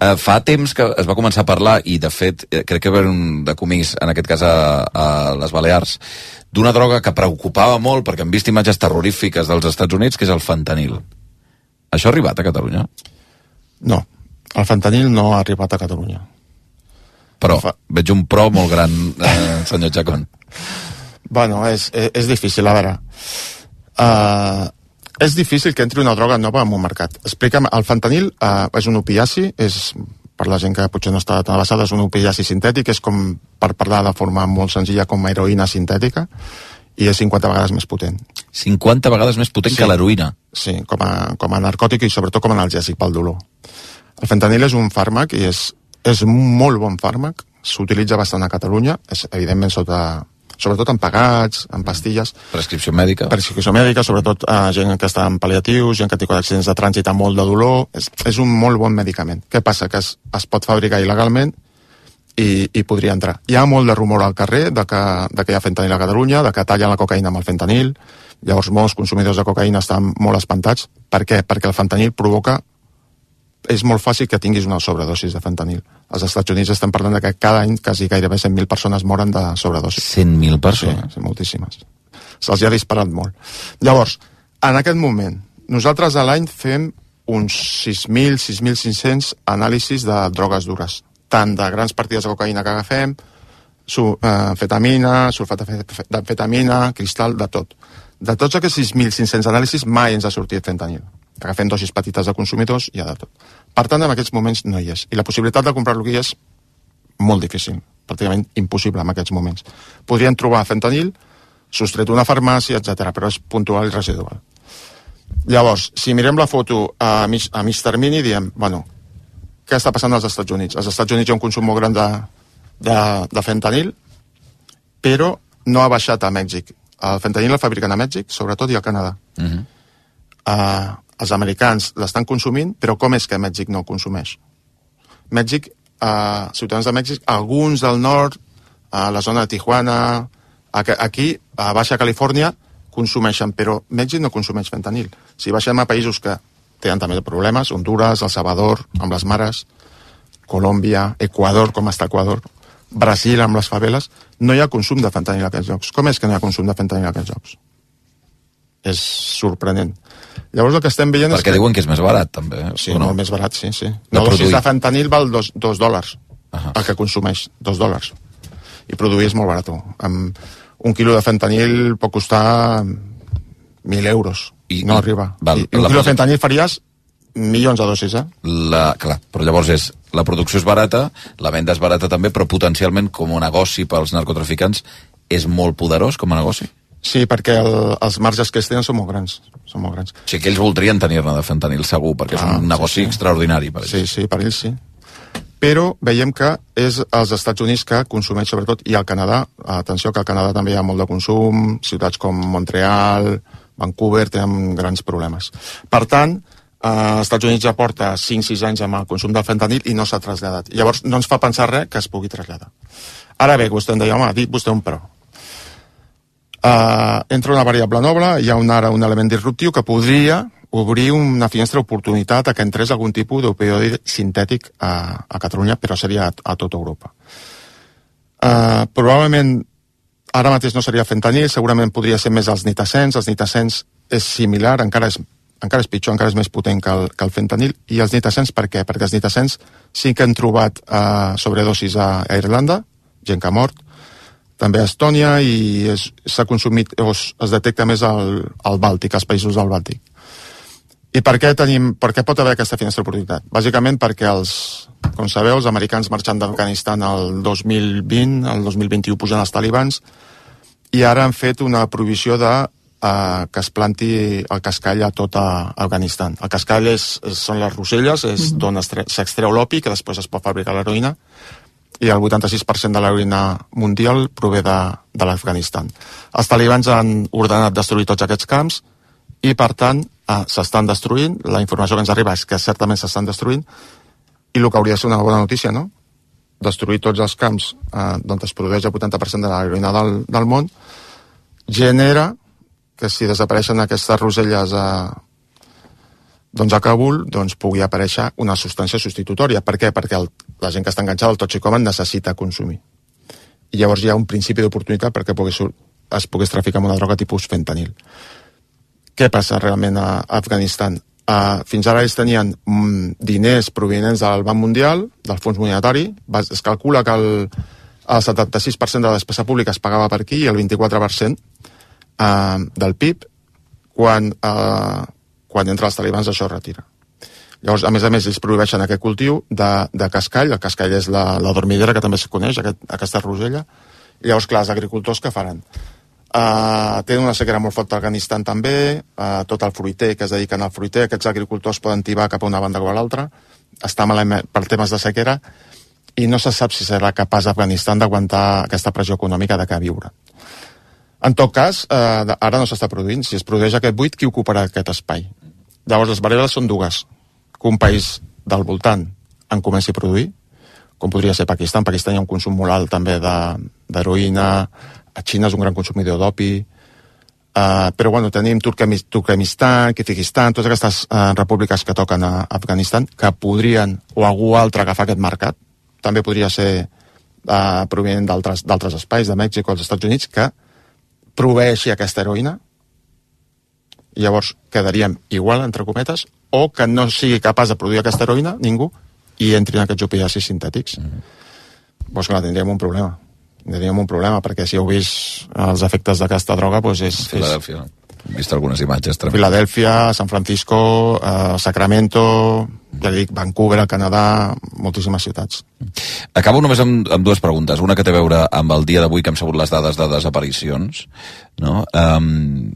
Eh, fa temps que es va començar a parlar, i de fet eh, crec que va haver un decomís, en aquest cas a, a les Balears, d'una droga que preocupava molt, perquè hem vist imatges terrorífiques dels Estats Units, que és el fentanil. Això ha arribat a Catalunya? No, el fentanil no ha arribat a Catalunya. Però fa... veig un pro molt gran, eh, senyor Chacón. Bueno, és, és, és difícil, a veure. Uh, és difícil que entri una droga nova en un mercat. Explica'm, el fentanil uh, és un opiaci, és, per la gent que potser no està tan avançada, és un opiaci sintètic, és com, per parlar de forma molt senzilla, com heroïna sintètica, i és cinquanta vegades més potent. cinquanta vegades més potent sí, que l'heroïna? Sí, com a, com a narcòtic i sobretot com a analgèsic pel dolor. El fentanil és un fàrmac i és, és un molt bon fàrmac, s'utilitza bastant a Catalunya, és evidentment sota, sobretot en pagats, en pastilles. Prescripció mèdica. Prescripció mèdica, sobretot a gent que està en pal·liatius, gent que té accidents de trànsit amb molt de dolor, és, és un molt bon medicament. Què passa? Que es, es pot fabricar il·legalment i, i podria entrar. Hi ha molt de rumor al carrer de que, de que hi ha fentanil a Catalunya, de que tallen la cocaïna amb el fentanil, llavors molts consumidors de cocaïna estan molt espantats. Per què? Perquè el fentanil provoca... És molt fàcil que tinguis una sobredosis de fentanil. Als Estats Units estem parlant de que cada any quasi gairebé cent mil persones moren de sobredosis. cent mil persones? Sí, sí, moltíssimes. Se'ls ha disparat molt. Llavors, en aquest moment, nosaltres a l'any fem uns sis mil, sis mil cinc-cents anàlisis de drogues dures, tant de grans partides de cocaïna que agafem, su, eh, fetamina, sulfat d'amfetamina, cristal, de tot. De tots aquests sis mil cinc-cents anàlisis mai ens ha sortit fentanil. Agafem dosis petites de consumidors i ja de tot. Per tant, en aquests moments no hi és. I la possibilitat de comprar-lo aquí és molt difícil, pràcticament impossible en aquests moments. Podrien trobar fentanil, sostret d'una farmàcia, etcètera, però és puntual i residual. Llavors, si mirem la foto a mig, a mig termini, diem, bueno, què està passant als Estats Units? Als Estats Units hi ha un consum molt gran de, de, de fentanil, però no ha baixat a Mèxic. El fentanil el fabriquen a Mèxic, sobretot, i al Canadà. Uh-huh. Uh, els americans l'estan consumint, però com és que Mèxic no el consumeix? Mèxic, uh, ciutadans de Mèxic, alguns del nord, a la zona de Tijuana, aquí, a Baixa Califòrnia, consumeixen, però Mèxic no consumeix fentanil. Si baixem a països que tenen també problemes, Honduras, El Salvador, amb les mares, Colòmbia, Equador, com està Equador, Brasil, amb les faveles, no hi ha consum de fentanil a aquests llocs. Com és que no hi ha consum de fentanil a aquests llocs? És sorprenent. Llavors el que estem veient Perquè és que... diuen que és més barat, també. Sí, no? Molt més barat, sí, sí. Una dosis de fentanil val dos, dos dòlars, uh-huh. el que consumeix, dos dòlars. I produir és molt barat. Amb un quilo de fentanil pot costar mil euros. I, no i, arriba. Val, I, I un quilo de fentanil faries milions de dosis, eh? La, clar, però llavors és, la producció és barata, la venda és barata també, però potencialment com a negoci pels narcotraficants és molt poderós com a negoci? Sí, perquè el, els marges que es tenen són molt grans. Són molt grans. O sigui que ells voldrien tenir-ne de fentanil, segur, perquè ah, és un negoci sí, sí. extraordinari per ells. Sí, sí, per ells sí. Però veiem que és als Estats Units que consumeix sobretot, i al Canadà, atenció que al Canadà també hi ha molt de consum, ciutats com Montreal, Vancouver, tenen grans problemes. Per tant, als Estats Units ja porta cinc sis anys amb el consum del fentanil i no s'ha traslladat. Llavors no ens fa pensar res que es pugui traslladar. Ara bé, vostè em deia, home, ha dit vostè un però. Uh, entra una variable noble, hi ha un, ara un element disruptiu que podria obrir una finestra d'oportunitat a que entrés algun tipus d'opioide sintètic a, a Catalunya, però seria a, a tota Europa. Uh, probablement ara mateix no seria fentanil, segurament podria ser més els nitacens. Els nitacens és similar, encara és, encara és pitjor, encara és més potent que el, que el fentanil. I els nitacens per què? Perquè els nitacens sí que han trobat uh, sobredosis a, a Irlanda, gent que ha mort, també a Estònia, i s'ha consumit, o es, es detecta més al, al Bàltic, als països del Bàltic. I per què, tenim, per què pot haver aquesta finestra d'oportunitat? Bàsicament perquè, els, com sabeu, els americans marxant d'Afganistan el dos mil vint, el dos mil vint-i-u pugen els talibans, i ara han fet una prohibició de uh, que es planti el cascall a tot a Afganistan. El cascall és, és, són les roselles, és mm-hmm. d'on s'extreu l'opi, que després es pot fabricar l'heroïna, i el vuitanta-sis per cent de l'heroïna mundial prové de, de l'Afganistan. Els talibans han ordenat destruir tots aquests camps i, per tant, eh, s'estan destruint. La informació que ens arriba és que certament s'estan destruint, i el que hauria de ser una bona notícia, no? Destruir tots els camps eh, on es produeix el vuitanta per cent de l'heroïna del, del món, genera que si desapareixen aquestes roselles a, doncs a Kabul, doncs pugui aparèixer una substància substitutòria. Per què? Perquè el, la gent que està enganxada al toxicòman necessita consumir. I llavors hi ha un principi d'oportunitat perquè pogués, es pogués traficar amb una droga tipus fentanil. Què passa realment a Afganistan? Uh, fins ara ells tenien mm, diners provinents del Banc Mundial, del Fons Monetari. Es calcula que el, el setanta-sis per cent de la despesa pública es pagava per aquí i el vint-i-quatre per cent uh, del P I B. Quan... Uh, quan entra els talibans això es retira. Llavors, a més a més, ells prohibeixen aquest cultiu de, de cascall. El cascall és la, la dormidera, que també es coneix, aquest, aquesta rosella. I llavors, clar, els agricultors què faran? Uh, tenen una sequera molt forta a Afganistan també, uh, tot el fruiter que es dediquen al fruiter, aquests agricultors poden tibar cap a una banda o a l'altra, està malament per temes de sequera, i no se sap si serà capaç Afganistan d'aguantar aquesta pressió econòmica de què viure. En tot cas, eh, ara no s'està produint. Si es produeix aquest buit, qui ocuparà aquest espai? Llavors, les variables són dues. Que un país del voltant en comenci a produir, com podria ser Pakistan. Pakistan hi ha un consum molt alt també d'heroïna, a Xina és un gran consumidor d'opi, eh, però bueno, tenim Turkmenistan, Kirguizistan, totes aquestes eh, repúbliques que toquen a Afganistan, que podrien, o algú altre, agafar aquest mercat. També podria ser eh, provenent d'altres espais, de Mèxic o dels Estats Units, que proveeixi aquesta heroïna, i llavors quedaríem igual, entre cometes, o que no sigui capaç de produir aquesta heroïna, ningú, i entrin aquests opiacis sintètics. Mm-hmm. Doncs clar, tindríem un problema. Tindríem un problema, perquè si heu vist els efectes d'aquesta droga, doncs és... Filadèlfia. He vist algunes imatges. També. Filadèlfia, San Francisco, eh, Sacramento, ja dic, Vancouver, Canadà, moltíssimes ciutats. Acabo només amb, amb dues preguntes. Una que té a veure amb el dia d'avui que hem sabut les dades de desaparicions. No? Um,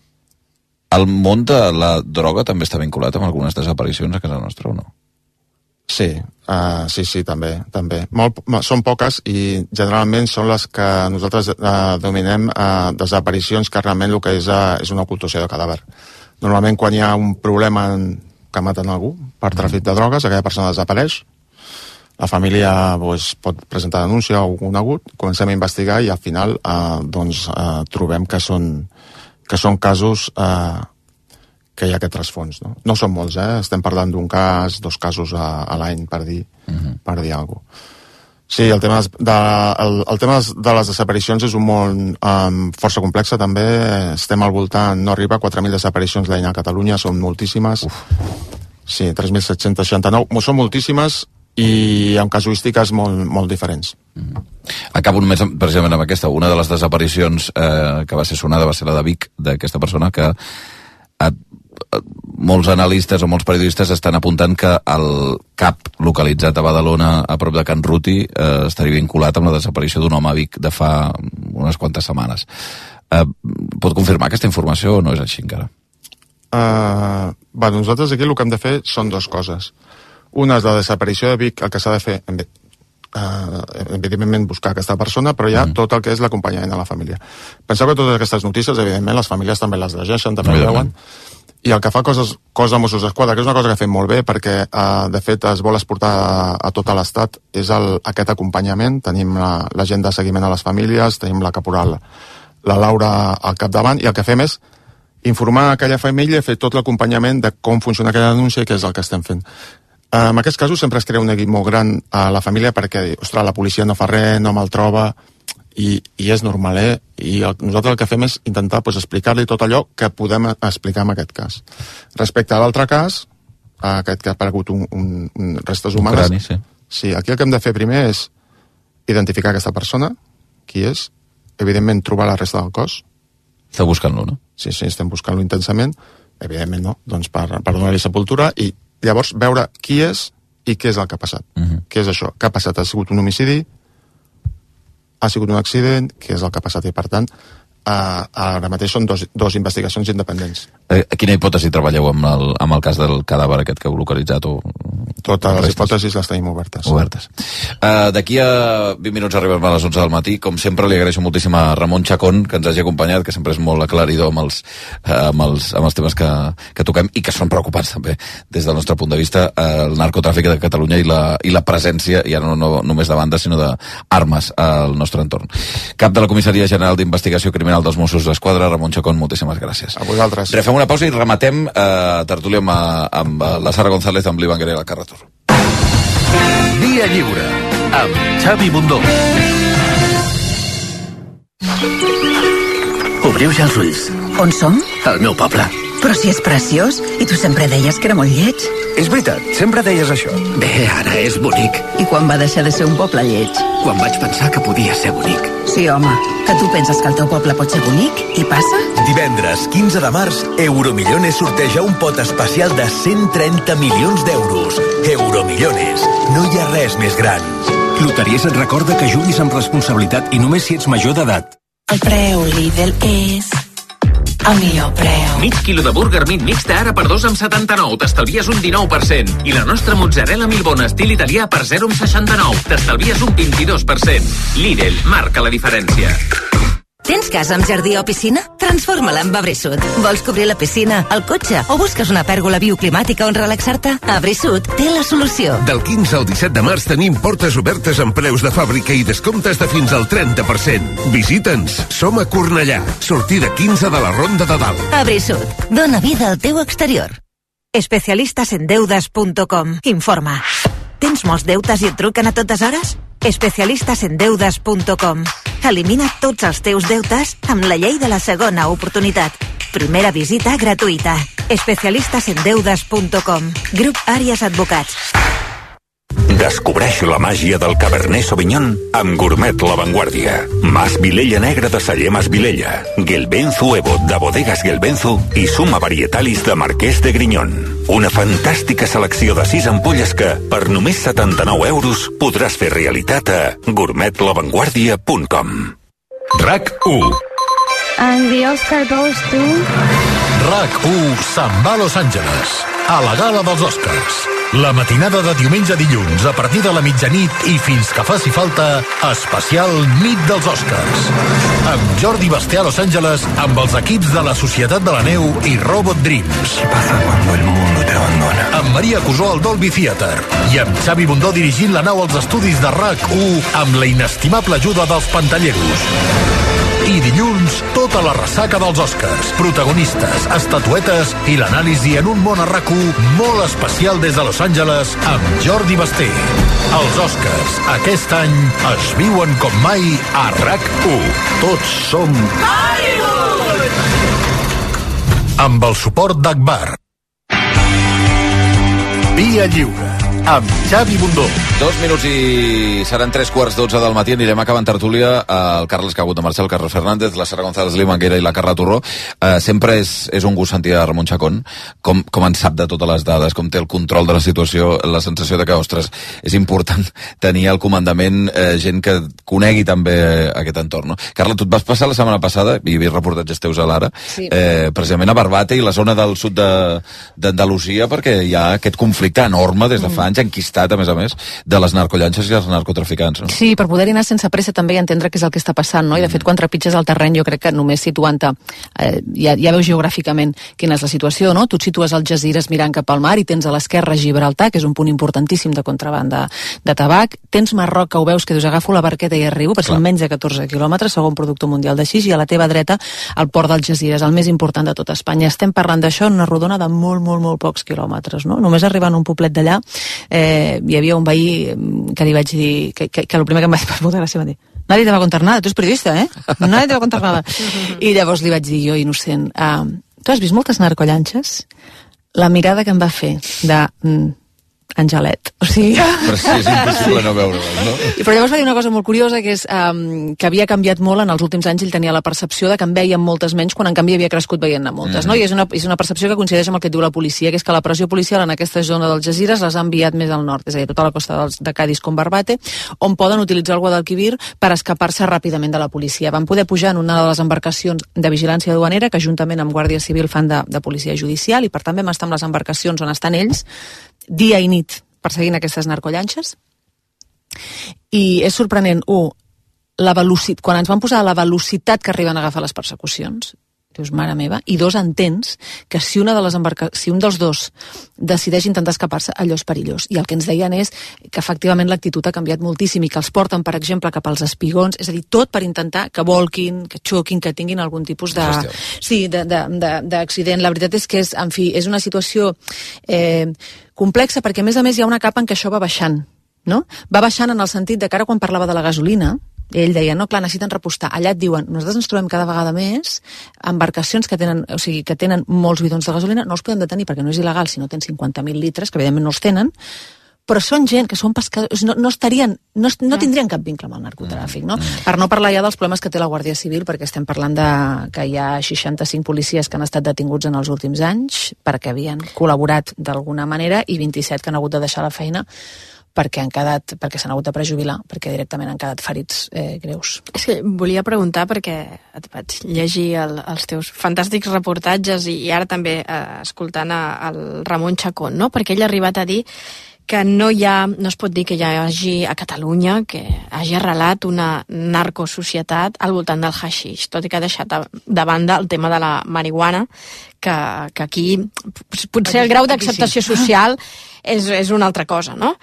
el món de la droga també està vinculat amb algunes desaparicions a casa nostra o no? Sí, uh, sí, sí, també. també. Molt, són poques i generalment són les que nosaltres uh, dominem uh, desaparicions que realment el que és, uh, és una ocultació de cadàver. Normalment quan hi ha un problema en, que maten algú per tràfic de drogues, aquella persona desapareix, la família pues, pot presentar denúncia o un agut, comencem a investigar i al final uh, doncs, uh, trobem que són, que són casos... Uh, que hi ha aquest trasfons, no? No són molts, eh? Estem parlant d'un cas, dos casos a, a l'any, per dir, uh-huh. per dir alguna cosa. Sí, el tema, de, el, el tema de les desaparicions és un món um, força complex, també. Estem al voltant, no arriba a quatre mil desaparicions l'any a Catalunya, són moltíssimes. Uf. Sí, tres mil set-cents seixanta-nou. Són moltíssimes i amb casuístiques molt, molt diferents. Uh-huh. Acabo només precisament amb aquesta. Una de les desaparicions eh, que va ser sonada va ser la de Vic, d'aquesta persona que a, molts analistes o molts periodistes estan apuntant que el cap localitzat a Badalona a prop de Can Ruti eh, estaria vinculat amb la desaparició d'un home a Vic de fa unes quantes setmanes. Eh, pot confirmar aquesta informació o no és així encara? Uh, bueno, nosaltres aquí el que hem de fer són dues coses. Una és la desaparició de Vic, el que s'ha de fer, uh, evidentment buscar aquesta persona, però hi ha mm. tot el que és l'acompanyament a la família. Penseu que totes aquestes notícies, evidentment, les famílies també les llegeixen, també les veuen, i el que fa coses, cos de Mossos d'Esquadra, que és una cosa que fem molt bé, perquè eh, de fet es vol exportar a, a tot l'estat, és el, aquest acompanyament. Tenim la, la gent de seguiment a les famílies, tenim la caporal, la Laura al capdavant, i el que fem és informar a aquella família, fer tot l'acompanyament de com funciona aquella denúncia i què és el que estem fent. Eh, en aquests casos sempre es crea un neguit molt gran a la família perquè, ostres, la policia no fa res, no me'l troba, I, i és normal, eh? I el, nosaltres el que fem és intentar pues, explicar-li tot allò que podem explicar en aquest cas. Respecte a l'altre cas, aquest que ha aparegut un, un, un restes humanes, un crani, sí. Sí, aquí el que hem de fer primer és identificar aquesta persona, qui és, evidentment trobar la resta del cos. Està buscant-lo, no? Sí, sí, estem buscant-lo intensament, evidentment no, doncs per, per donar-li sepultura i llavors veure qui és i què és el que ha passat. Uh-huh. Què és això? Què ha passat? Ha sigut un homicidi? Ha sigut un accident, què és el que ha passat, i per tant Uh, ara mateix són dos, dos investigacions independents. Eh, quina hipòtesi treballeu amb el, amb el cas del cadàver aquest que heu localitzat? O... Totes les hipòtesis les tenim obertes. Obertes. Uh, D'aquí a vint minuts arribem a les onze del matí. Com sempre, li agraeixo moltíssim a Ramon Chacón que ens hagi acompanyat, que sempre és molt aclaridor amb els, uh, amb els, amb els temes que, que toquem i que són preocupants també des del nostre punt de vista, uh, el narcotràfic de Catalunya i la, i la presència, ja no, no només de bandes, sinó d'armes al nostre entorn. Cap de la Comissaria General d'Investigació Criminal dels Mossos d'Esquadra, Ramon Chacón, moltíssimes gràcies. A vosaltres. Refem una pausa i rematem eh, tertúlia amb, amb la Sara González, amb l'Ivan Guerrero al Carretor. Via Lliure, amb Xavi Bundó. Obriu ja els ulls. On som? Al meu poble. Però si és preciós, i tu sempre deies que era molt lleig. És veritat, sempre deies això. Bé, ara és bonic. I quan va deixar de ser un poble lleig? Quan vaig pensar que podia ser bonic. Sí, home, que tu penses que el teu poble pot ser bonic i passa? Divendres quinze de març, Euromillones sorteja un pot especial de cent trenta milions d'euros. Euromillones, no hi ha res més gran. Loteries et recorda que juguis amb responsabilitat i només si ets major d'edat. El preu Lidl és... el millor preu. Mig quilo de burger meat mixta ara per dos amb setanta-nou. T'estalvies un dinou per cent. I la nostra mozzarella Milbona estil italià per zero amb seixanta-nou. T'estalvies un vint-i-dos per cent. Lidl marca la diferència. Tens casa amb jardí o piscina? Transforma-la amb Abrisud. Vols cobrir la piscina, el cotxe o busques una pèrgola bioclimàtica on relaxar-te? Abrisud té la solució. Del quinze al disset de març tenim portes obertes amb preus de fàbrica i descomptes de fins al trenta per cent. Visita'ns. Som a Cornellà. Sortida quinze de la Ronda de Dalt. Abrisud. Dóna vida al teu exterior. especialistas en deudas punto com informa. Tens molts deutes i et truquen a totes hores? especialistas en deudas punto com. Elimina tots els teus deutes amb la llei de la segona oportunitat. Primera visita gratuïta. especialistas en deudas punto com. Grup Àries Advocats. Descobreix la màgia del Cabernet Sauvignon amb Gourmet La Vanguardia. Mas Vilella Negra de Celler Mas Vilella, Gelbenzu Evo de Bodegas Gelbenzu i Suma Varietalis de Marquès de Grinyón. Una fantàstica selecció de sis ampolles que, per només setanta-nou euros, podràs fer realitat a gourmet la vanguardia punt com. RAC u. And the Oscar goes to... RAC u se'n va a Los Angeles, a la gala dels Oscars. La matinada de diumenge a dilluns, a partir de la mitjanit i fins que faci falta, especial Nit dels Oscars. Amb Jordi Basté a Los Angeles, amb els equips de la Societat de la Neu i Robot Dreams. ¿Qué pasa cuando el mundo te abandona? Amb Maria Cusó al Dolby Theatre. I amb Xavi Bundó dirigint la nau als estudis de RAC u amb la inestimable ajuda dels pantalleros. I dilluns, tota la ressaca dels Oscars, protagonistes, estatuetes i l'anàlisi en un món a RAC u molt especial des de Los Angeles amb Jordi Basté. Els Oscars, aquest any, es viuen com mai a RAC u. Tots som... Hollywood! Amb el suport d'Agbar. Via Lliure, amb Xavi Bundó. Dos minuts i seran tres quarts dotze del matí. Anirem acabant tertúlia. El Carles que ha hagut de marxar, el Carles Fernández, la Sara González, l'Imanguera i la Carla Torró. Uh, sempre és, és un gust sentir a Ramon Chacón, com, com en sap de totes les dades, com té el control de la situació, la sensació de que, ostres, és important tenir al comandament eh, gent que conegui també aquest entorn. No? Carla, tu et vas passar la setmana passada, i hi havia reportatges teus a l'Ara, sí. eh, precisament a Barbate i la zona del sud d'Andalusia, de, perquè hi ha aquest conflicte enorme des de fa anys, enquistat, a més a més, de les narcollanxes i els narcotraficants. No? Sí, per poder-hi anar sense pressa també i entendre què és el que està passant, no? I de fet, quan trepitges el terreny, jo crec que només situant-te, eh, ja, ja veus geogràficament quina és la situació, no? Tu et situes al Jazires mirant cap al mar i tens a l'esquerra Gibraltar, que és un punt importantíssim de contrabanda de tabac, tens Marroc, que ho veus, que dius, agafo la barqueta i arribo, perquè són menys de catorze quilòmetres, segon productor mundial de xix, i a la teva dreta el port del Jazires, el més important de tot Espanya. Estem parlant d'això en una rodona de molt, molt, molt pocs quilòmetres, no? Només arribant a un poblet d'allà, eh, hi havia un veí que li vaig dir, que, que, que el primer que em va dir, per molta gràcia, va dir, nadie te va contar nada, tu ets periodista, eh? Nadie te va contar nada. I llavors li vaig dir jo, innocent, uh, tu has vist moltes narcollanxes? La mirada que em va fer de, mm, Angelet. O sigui... Però sí, és impossible no veure-les, no? Però llavors va dir una cosa molt curiosa, que és um, que havia canviat molt en els últims anys. Ell tenia la percepció de que en veien moltes menys, quan en canvi havia crescut veient-ne moltes, mm. no? I és una, és una percepció que coincideix amb el que et diu la policia, que és que la pressió policial en aquesta zona dels Jazires les ha enviat més al nord, és a dir, tota la costa dels, de Cádiz com Barbate, on poden utilitzar el Guadalquivir per escapar-se ràpidament de la policia. Van poder pujar en una de les embarcacions de vigilància duanera, que juntament amb Guàrdia Civil fan de, de policia judicial, i per tant vam estar amb les embarcacions on estan ells, dia i nit, perseguint aquestes narcollanxes. I és sorprenent, un, la velocitat, quan ens van posar la velocitat que arriben a agafar les persecucions, dius, mare meva, i dos, entens que si una de les embarca... si un dels dos decideix intentar escapar-se, allò és perillós. I el que ens deien és que efectivament l'actitud ha canviat moltíssim i que els porten, per exemple, cap als espigons, és a dir, tot per intentar que volquin, que xoquin, que tinguin algun tipus de... Sí, d'accident. La veritat és que és, en fi, és una situació eh, complexa, perquè a més a més hi ha una capa en què això va baixant, no? Va baixant en el sentit de que ara quan parlava de la gasolina, ell deia, no, clar, necessiten repostar. Allà et diuen, nosaltres ens trobem cada vegada més embarcacions que tenen, o sigui, que tenen molts bidons de gasolina, no els podem detenir perquè no és il·legal si no tens cinquanta mil litres, que evidentment no els tenen, però són gent que són pescadors, no, no estarien, no, no tindrien cap vincle amb el narcotràfic, no? Per no parlar ja dels problemes que té la Guàrdia Civil, perquè estem parlant de que hi ha seixanta-cinc policies que han estat detinguts en els últims anys perquè havien col·laborat d'alguna manera i vint-i-set que han hagut de deixar la feina perquè han quedat, perquè s'han hagut de prejubilar, perquè directament han quedat ferits eh, greus. És que volia preguntar, perquè et vaig llegir el, els teus fantàstics reportatges i, i ara també eh, escoltant a, el Ramon Chacón, no? Perquè ell ha arribat a dir que no hi ha, no es pot dir que hi hagi a Catalunya que hagi arrelat una narcosocietat al voltant del haixix, tot i que ha deixat de banda el tema de la marihuana, que, que aquí potser el grau d'acceptació social és, és una altra cosa, no?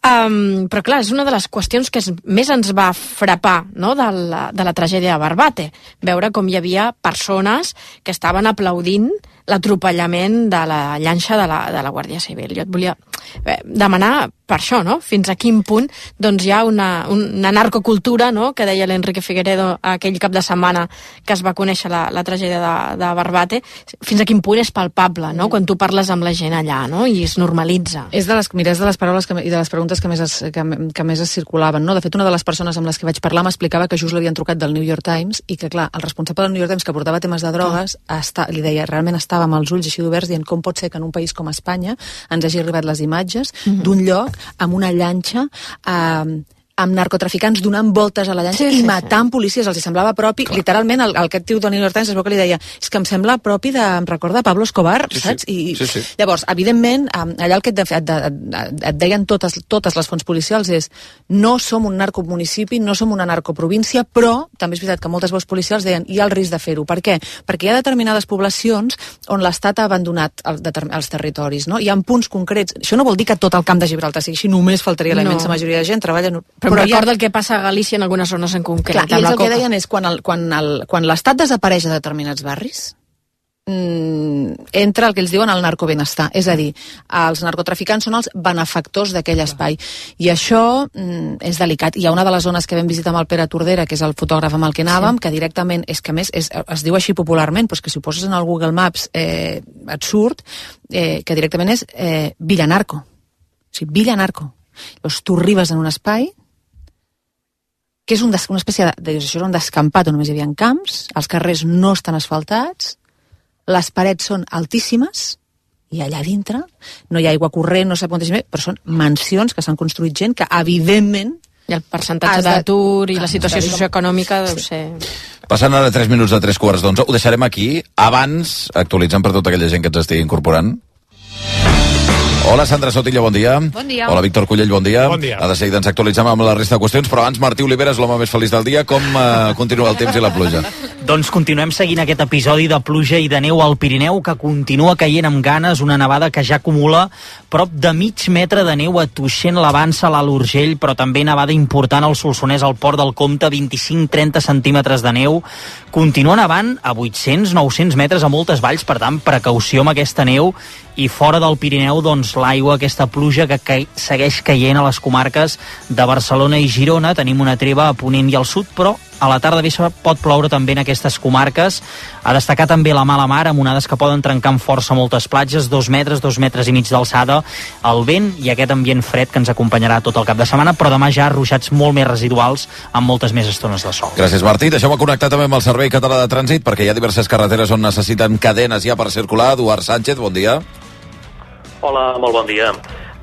Um, però clar, és una de les qüestions que es, més ens va frapar, no? de, la, de la tragèdia de Barbate, veure com hi havia persones que estaven aplaudint l'atropellament de la llanxa de la, de la Guàrdia Civil. Jo et volia eh, demanar per això, no? Fins a quin punt doncs, hi ha una, una narcocultura, no? Que deia l'Enrique Figueredo aquell cap de setmana que es va conèixer la, la tragèdia de, de Barbate, fins a quin punt és palpable, no? Quan tu parles amb la gent allà, no? I es normalitza. És de les, mira, és de les paraules que, i de les preguntes que més, es, que, que més es circulaven, no? De fet, una de les persones amb les que vaig parlar m'explicava que just l'havien trucat del New York Times i que, clar, el responsable del New York Times que portava temes de drogues ah. està, li deia, realment estava amb els ulls així oberts dient com pot ser que en un país com Espanya ens hagi arribat les imatges mm-hmm. d'un lloc amb una llanxa eh, amb narcotraficants donant voltes a la llanxa sí, i matant sí, sí. policies, els hi semblava propi. Clar. Literalment, el, el que tio del New York Times es veu que li deia, és que em sembla propi de, em recorda Pablo Escobar, sí, saps? Sí. I sí, sí. Llavors, evidentment, allà el que et, et, et, et deien totes, totes les fonts policials és no som un narcomunicipi, no som una narcoprovíncia, però també és veritat que moltes veus policials deien hi ha el risc de fer-ho. Per què? Perquè hi ha determinades poblacions on l'Estat ha abandonat el, els territoris, no? Hi ha punts concrets. Això no vol dir que tot el camp de Gibraltar sigui així, només faltaria la immensa no. majoria de gent treballa... Però, però recorda ha... el que passa a Galícia en algunes zones en concret. Clar, i ells el que deien és quan, el, quan, el, quan l'Estat desapareix de determinats barris, mmm, entra el que ells diuen el narcobenestar. És a dir, els narcotraficants són els benefactors d'aquell espai. I això mmm, és delicat. Hi ha una de les zones que vam visitar amb el Pere Tordera, que és el fotògraf amb el que anàvem, sí. que directament, és que més és, es diu així popularment, però és que si ho poses en el Google Maps eh, et surt, eh, que directament és eh, Villa Narco. O sigui, Villa Narco. Llavors, tu arribes en un espai que és un des, una espècie de, de, això era un descampat on només hi havia camps, els carrers no estan asfaltats, les parets són altíssimes, i allà dintre no hi ha aigua corrent, no sé quantes més, però són mansions que s'han construït gent que, evidentment, i el percentatge d'atur i la situació socioeconòmica deu ser... Passant ara tres minuts de tres quarts d'onze, ho deixarem aquí, abans, actualitzant per tota aquella gent que ens estigui incorporant. Hola, Sandra Sotillo, bon dia. Bon dia. Hola, Víctor Cullell, bon dia. Bon dia. A de seguida ens actualitzem amb la resta de qüestions, però abans Martí Oliveres, l'home més feliç del dia, com uh, continua el temps i la pluja? Doncs continuem seguint aquest episodi de pluja i de neu al Pirineu, que continua caient amb ganes, una nevada que ja acumula prop de mig metre de neu a Tuixén, l'Avança, l'Alt Urgell, però també nevada important al Solsonès, al Port del Comte, vint-i-cinc a trenta centímetres de neu. Continua nevant a vuit-cents a nou-cents metres a moltes valls, per tant, precaució amb aquesta neu. I fora del Pirineu, doncs, l'aigua, aquesta pluja que ca... segueix caient a les comarques de Barcelona i Girona. Tenim una treva a Ponent i al sud, però a la tarda vespre pot ploure també en aquestes comarques. A destacar també la mala mar, amb onades que poden trencar amb força moltes platges, dos metres, dos metres i mig d'alçada, el vent i aquest ambient fred que ens acompanyarà tot el cap de setmana, però demà ja ruixats molt més residuals amb moltes més estones de sol. Gràcies, Martí. Deixeu-me connectar també amb el Servei Català de Trànsit, perquè hi ha diverses carreteres on necessiten cadenes ja per circular. Eduard Sánchez, bon dia. Hola, molt bon dia.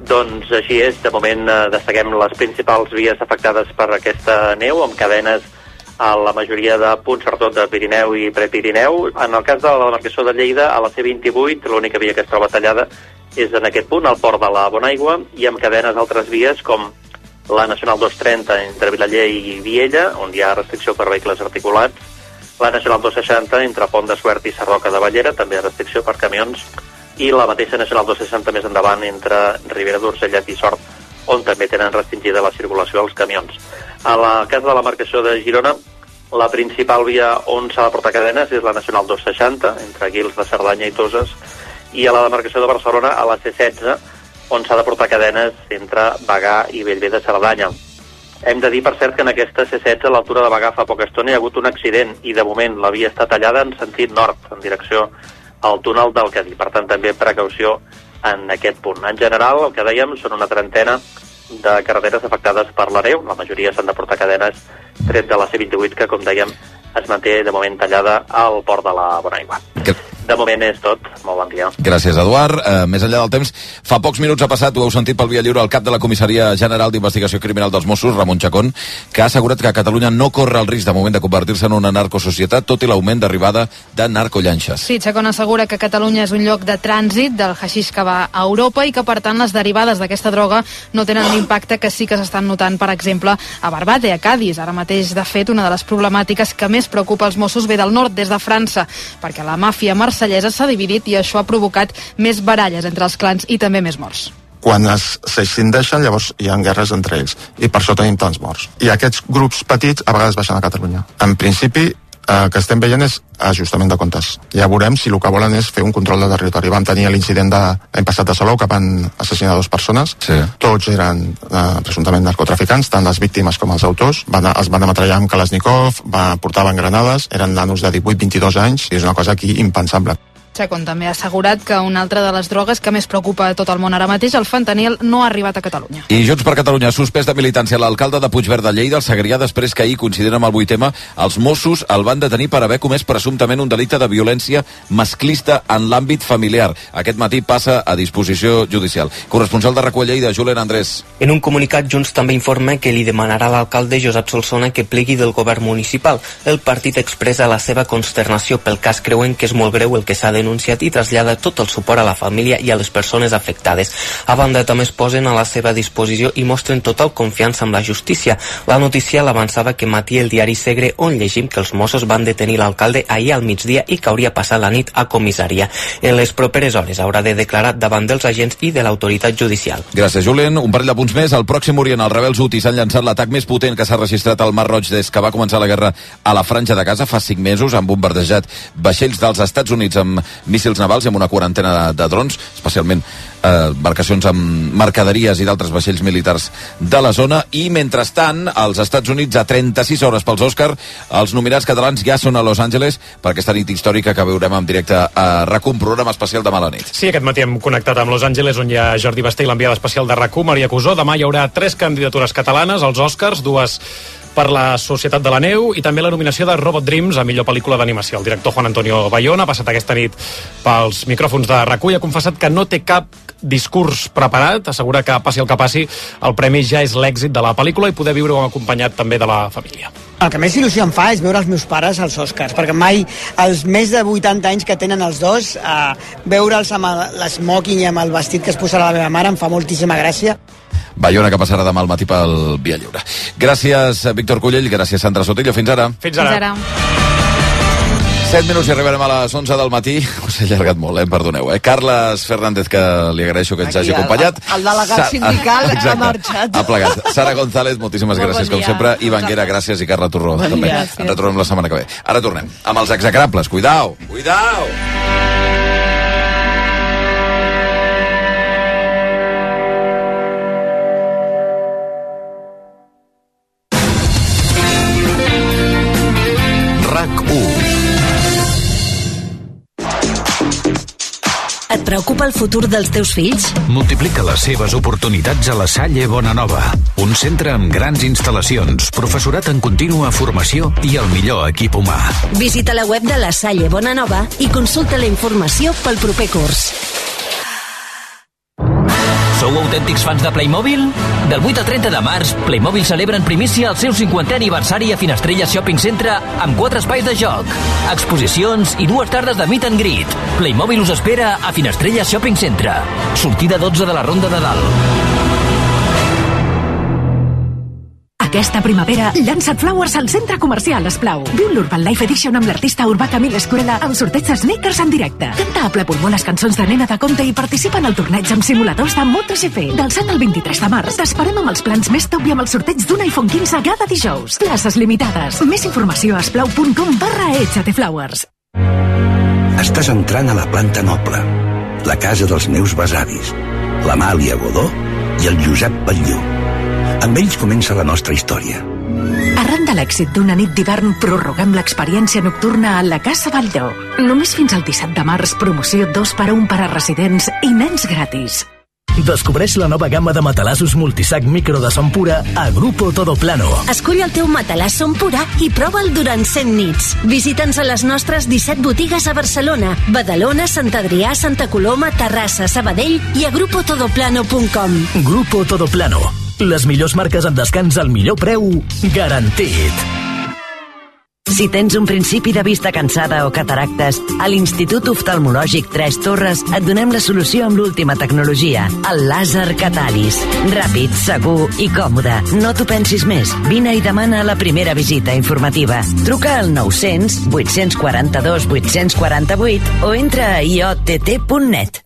Doncs així és, de moment eh, destaquem les principals vies afectades per aquesta neu, amb cadenes a la majoria de punts, sobretot de Pirineu i Prepirineu. En el cas de la demarcació de Lleida, a la C vint-i-vuit, l'única via que es troba tallada és en aquest punt, al port de la Bonaigua, i amb cadenes altres vies com la Nacional dos trenta entre Vilaller i Viella, on hi ha restricció per vehicles articulats, la Nacional dos seixanta entre Pont de Suert i Sarroca de Bellera, també restricció per camions, i la mateixa Nacional dos seixanta més endavant entre Ribera d'Urgellet i Sort, on també tenen restringida la circulació als camions. A la casa de la marcació de Girona, la principal via on s'ha de portar cadenes és la Nacional dos seixanta, entre Guils de Cerdanya i Toses, i a la demarcació de Barcelona, a la C setze, on s'ha de portar cadenes entre Bagà i Bellver de Cerdanya. Hem de dir, per cert, que en aquesta C setze, a l'altura de Bagà, fa poca estona hi ha hagut un accident, i de moment la via està tallada en sentit nord, en direcció al túnel del Cadí. Per tant, també precaució en aquest punt. En general, el que dèiem, són una trentena de carreteres afectades per la neu. La majoria s'han de portar cadenes, tret de la C vint-i-vuit, que, com dèiem, es manté de moment tallada al port de la Bonaigua. De moment és tot. Molt bon dia. Gràcies, Eduard. Uh, més enllà del temps, fa pocs minuts ha passat, ho heu sentit pel Via Lliure, el cap de la Comissaria General d'Investigació Criminal dels Mossos, Ramon Chacón, que ha assegurat que Catalunya no corre el risc de moment de convertir-se en una narcosocietat, tot i l'augment d'arribada de narcollanxes. Sí, Chacón assegura que Catalunya és un lloc de trànsit del haixix que va a Europa i que, per tant, les derivades d'aquesta droga no tenen l'impacte que sí que s'estan notant, per exemple, a Barbate, a Cádiz. Ara mateix, de fet, una de les problemàtiques que més preocupa els Mossos ve del nord, des de França, perquè la màfia marsellesa s'ha dividit i això ha provocat més baralles entre els clans i també més morts. Quan s'escindeixen, llavors hi ha guerres entre ells, i per això tenim tants morts. I aquests grups petits a vegades baixen a Catalunya. En principi, el que estem veient és ajustament de comptes. Ja veurem si el que volen és fer un control de territori. Vam tenir l'incident de l'any passat de Salou, que van assassinar dues persones. Sí. Tots eren eh, presumptament narcotraficants, tant les víctimes com els autors. Van, els van ametrallar amb Kalashnikov, va, portaven granades, eren nanos de divuit vint-i-dos anys, i és una cosa aquí impensable. Chacón també ha assegurat que una altra de les drogues que més preocupa a tot el món ara mateix, el fentanil, no ha arribat a Catalunya. I Junts per Catalunya ha suspès de militància l'alcalde de Puigverd de Lleida, el Segrià, després que ahir, coincidint amb el vuit ema, els Mossos el van detenir per haver comès presumptament un delicte de violència masclista en l'àmbit familiar. Aquest matí passa a disposició judicial. Corresponsal de RAC u a Lleida, Julen Andrés. En un comunicat, Junts també informa que li demanarà a l'alcalde Josep Solsona que plegui del govern municipal. El partit expressa la seva consternació pel cas, creuen que és molt greu el que s'ha denunciat i trasllada tot el suport a la família i a les persones afectades. A banda, també es posen a la seva disposició i mostren total confiança amb la justícia. La notícia l'avançava que matí el diari Segre, on llegim que els Mossos van detenir l'alcalde ahir al migdia i que hauria passat la nit a comissària. En les properes hores haurà de declarar davant dels agents i de l'autoritat judicial. Gràcies, Julen. Un parell de punts més. Al Pròxim Orient, els rebels hutis han llançat l'atac més potent que s'ha registrat al Mar Roig des que va començar la guerra a la Franja de Gaza fa cinc mesos. Han bombardejat vaixells dels Estats Units amb míssils navals i amb una quarantena de, de drons, especialment eh, embarcacions amb mercaderies i d'altres vaixells militars de la zona. I mentrestant, als Estats Units, a trenta-sis hores pels Òscar, els nominats catalans ja són a Los Angeles per aquesta nit històrica que veurem en directe a RAC u, un programa especial demà a la nit. Sí, aquest matí hem connectat amb Los Angeles, on hi ha Jordi Basté i l'enviada especial de RAC u, Maria Cusó. Demà hi haurà tres candidatures catalanes als Òscars, dues per la Societat de la Neu i també la nominació de Robot Dreams a millor pel·lícula d'animació. El director Juan Antonio Bayona ha passat aquesta nit pels micròfons de RAC u i ha confessat que no té cap discurs preparat, assegura que passi el que passi, el premi ja és l'èxit de la pel·lícula i poder viure-ho acompanyat també de la família. El que més il·lusió em fa és veure els meus pares als Oscars, perquè mai, els més de vuitanta anys que tenen els dos, eh, veure'ls amb l'esmoking i amb el vestit que es posarà la meva mare em fa moltíssima gràcia. Bayona, que passarà demà al matí pel Via Lliure. Gràcies, Víctor Cullell, gràcies, Sandra Sotillo. Fins ara. Fins ara. Fins ara. set minuts i arribarem a les onze del matí. Us he allargat molt, eh? Perdoneu. Eh? Carles Fernández, que li agraeixo que ens hagi acompanyat. El, el delegat sindical Exacte, ha marxat. Ha plegat. Sara González, moltíssimes Molt gràcies, bon com dia. sempre. Ivan Guera, gràcies, i Carla Torró, Bon també. dia. Ens retrobem la setmana que ve. Ara tornem amb els execrables. Cuidao! Cuidao! preocupa el futur dels teus fills? Multiplica les seves oportunitats a la Salle Bonanova. Un centre amb grans instal·lacions, professorat en contínua formació i el millor equip humà. Visita la web de la Salle Bonanova i consulta la informació pel proper curs. Sou autèntics fans de Playmobil? Del vuit al trenta de març, Playmobil celebra en primícia el seu cinquantè aniversari a Finestrelles Shopping Centre amb quatre espais de joc, exposicions i dues tardes de meet and greet. Playmobil us espera a Finestrelles Shopping Centre. Sortida dotze de la Ronda de Dalt. Aquesta primavera, llança't Flowers al centre comercial Esplau. Viu l'Urban Life Edition amb l'artista urbà Camille Escurella al sorteig de Sneakers en directe. Canta a ple pulmó les cançons de Nena de Conte i participa en el torneig amb simuladors de MotoGP. Del set al vint-i-tres de març, t'esperem amb els plans més top i amb el sorteig d'un iPhone quinze cada dijous. Places limitades. Més informació a esplau punt com barra Echate Flowers. Estàs entrant a la planta noble, la casa dels meus besavis, l'Amàlia Godó i el Josep Batlló. Amb ells comença la nostra història. Arran de l'èxit d'una nit d'hivern, prorroguem l'experiència nocturna a la Casa Batlló. Només fins al disset de març, promoció dos per un per a residents i nens gratis. Descobreix la nova gamma de matalassos multisac micro de son pura a Grupo Todo Plano. Escull el teu matalàs son pura i prova'l durant cent nits. Visita'ns a les nostres disset botigues a Barcelona, Badalona, Sant Adrià, Santa Coloma, Terrassa, Sabadell i a grupo todo plano punt com. Grupo Todo Plano. Les millors marques en descans al millor preu garantit. Si tens un principi de vista cansada o cataractes, a l'Institut Oftalmològic Tres Torres et donem la solució amb l'última tecnologia, el làser Catalis. Ràpid, segur i còmode. No t'ho pensis més. Vine i demana la primera visita informativa. Truca al nou-cents, vuit-cents quaranta-dos, vuit-cents quaranta-vuit o entra a i o te te punt net.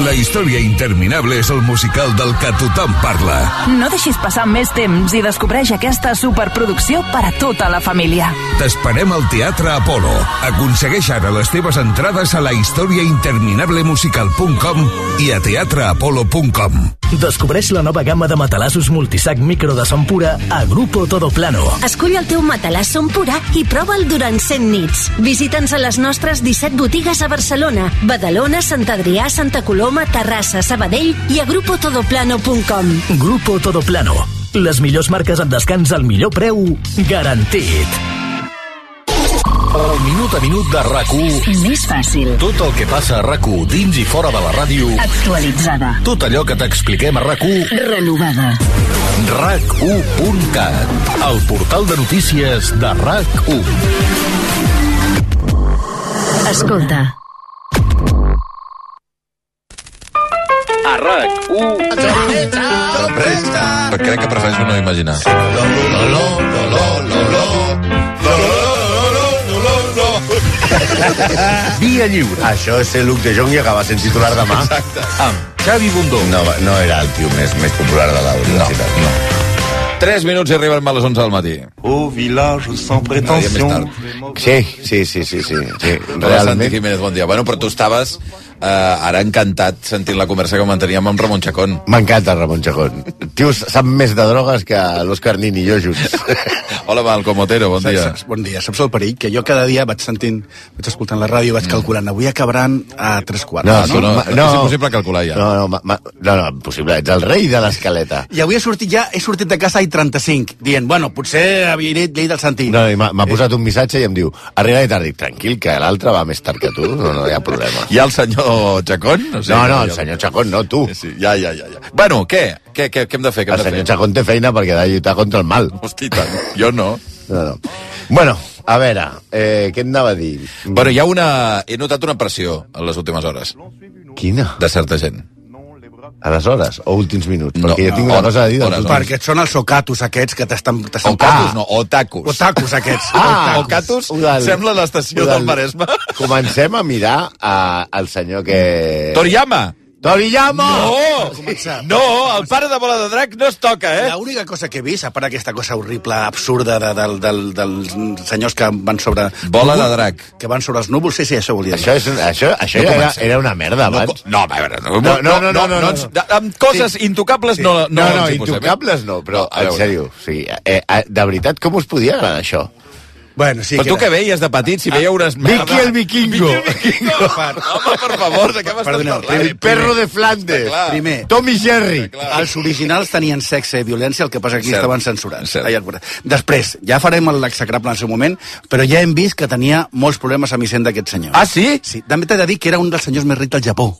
La història interminable és el musical del que tothom parla. No deixis passar més temps i descobreix aquesta superproducció per a tota la família. T'esperem al Teatre Apolo. Aconsegueix ara les teves entrades a la història interminable musical punt com i a teatre apolo punt com. Descobreix la nova gamma de matalassos multisac micro de son pura a Grupo Todo Plano. Escull el teu matalàs son pura i prova'l durant cent nits. Visita'ns a les nostres disset botigues a Barcelona, Badalona, Sant Adrià, Santa Coloma, Terrassa, Sabadell i a grupo todo plano punt com. Grupo Todo Plano. Les millors marques en descans al millor preu garantit. El minut a minut de RAC u. Més fàcil. Tot el que passa a RAC u dins i fora de la ràdio. Actualitzada. Tot allò que t'expliquem a RAC u. Renovada. RAC u punt cat. El portal de notícies de RAC u. Escolta. A RAC u. Però crec que prefereixo no imaginar. Via lliure. Això és ser Luc de Jong i acabar sent titular demà. Exacte. Amb Xavi Bundó. No, no era el tio més, més popular de la universitat. No, no. Tres minuts i arribem a les onze del matí. Au village sans prétention. Sí, sí, sí, sí, sí. sí. Realment. Santi Jiménez, bon dia. Bueno, però tu estaves eh, ara encantat sentint la conversa que manteníem amb Ramon Chacón. M'encanta Ramon Chacón. Tio, sap més de drogues que l'Òscar Nin i jo junts. Hola, Malcom Otero, bon dia. Saps, bon dia. Saps el perill? Que jo cada dia vaig sentint, vaig escoltant la ràdio, vaig calculant, avui acabaran a tres quarts. No, no, no, no, no, és impossible calcular ja. No, no, ma, ma, no, no, impossible. Ets el rei de l'escaleta. I avui he sortit ja, he sortit de casa i trenta-cinc, dient, bueno, potser havia dit llei del Santi. No, m'ha posat un missatge i em diu, arriba i tarda, dic, tranquil, que l'altre va més tard que tu, no, no hi ha problema. I el senyor Chacón? No, sé, no, no, el senyor Chacón no, tu. Sí, ja, ja, ja, ja. Bueno, què? Què, què, què hem de fer? Què hem el de senyor fer? Chacón té feina perquè ha de lluitar contra el mal. Hosti, tant. Jo no. No, no. Bueno, a veure, eh, què em anava a dir? Bueno, hi ha una... He notat una pressió en les últimes hores. Quina? De certa gent. A les hores o últims minuts? No, perquè jo tinc no, una cosa a dir. Hores, hores. Perquè et són els ocatus aquests que t'estan... Ocatus, no, otakus. Otakus aquests. Ah, ocatus del, sembla l'estació del, del Maresme. Comencem a mirar a, al senyor que... Toriyama! Toriyama! No! No, el pare de Bola de Drac no es toca, eh? L'única cosa que he vist, a part d'aquesta cosa horrible, absurda, de, de, de, de, dels senyors que van sobre... Bola de Drac. Que van sobre els núvols, sí, sí, això volia dir. Això, és, això, això no era, era una merda, abans. No, a veure, no, no, no, no, no, no, no, no. Amb coses sí. intocables sí. no, no, no, no, intocables no, però, no, en sèrio, sí, eh, eh, de veritat, com us podia agradar això? Bueno, sí, però tu què veies de petit, si veia unes merdes... Vicky el vikingo. Home, per favor, de què m'estàs Perdoneu, parlant? El perro de Flandes. Primer, Tom i Jerry. els originals tenien sexe i violència, el que passa que aquí Cert. estaven censurats. Cert. Allà, després, ja farem l'execrable en el seu moment, però ja hem vist que tenia molts problemes amb Hisenda aquest senyor. Ah, sí? Sí, també t'he de dir que era un dels senyors més rics del Japó.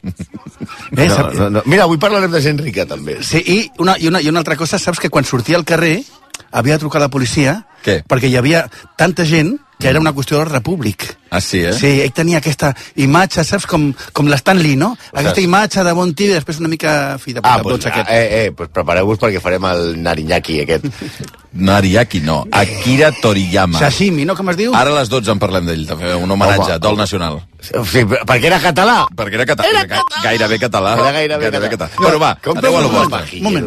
Eh, No, sap- no, no. Mira, avui parlarem de gent rica, també. Sí, i una, i, una, i una altra cosa, saps que quan sortia al carrer havia de trucar a la policia Què? perquè hi havia tanta gent que era una qüestió de repúblic. Ah, sí, eh? Sí, ell tenia aquesta imatge, saps, com, com l'Stan Lee, no? Aquesta imatge de bon tio i després una mica fi de puta. Ah, doncs, aquest. eh, eh, pues prepareu-vos perquè farem el Nariñaki, aquest. Nariaki, no. Akira Toriyama. Sashimi, no? Com es diu? Ara a les dotze en parlem d'ell, també, un homenatge, Home, Dol home. Nacional. Sí, perquè era català. Perquè era català, Era ga- gairebé català. Era gairebé català. català. Bueno, va, Com adeu a lo un vostre. moment.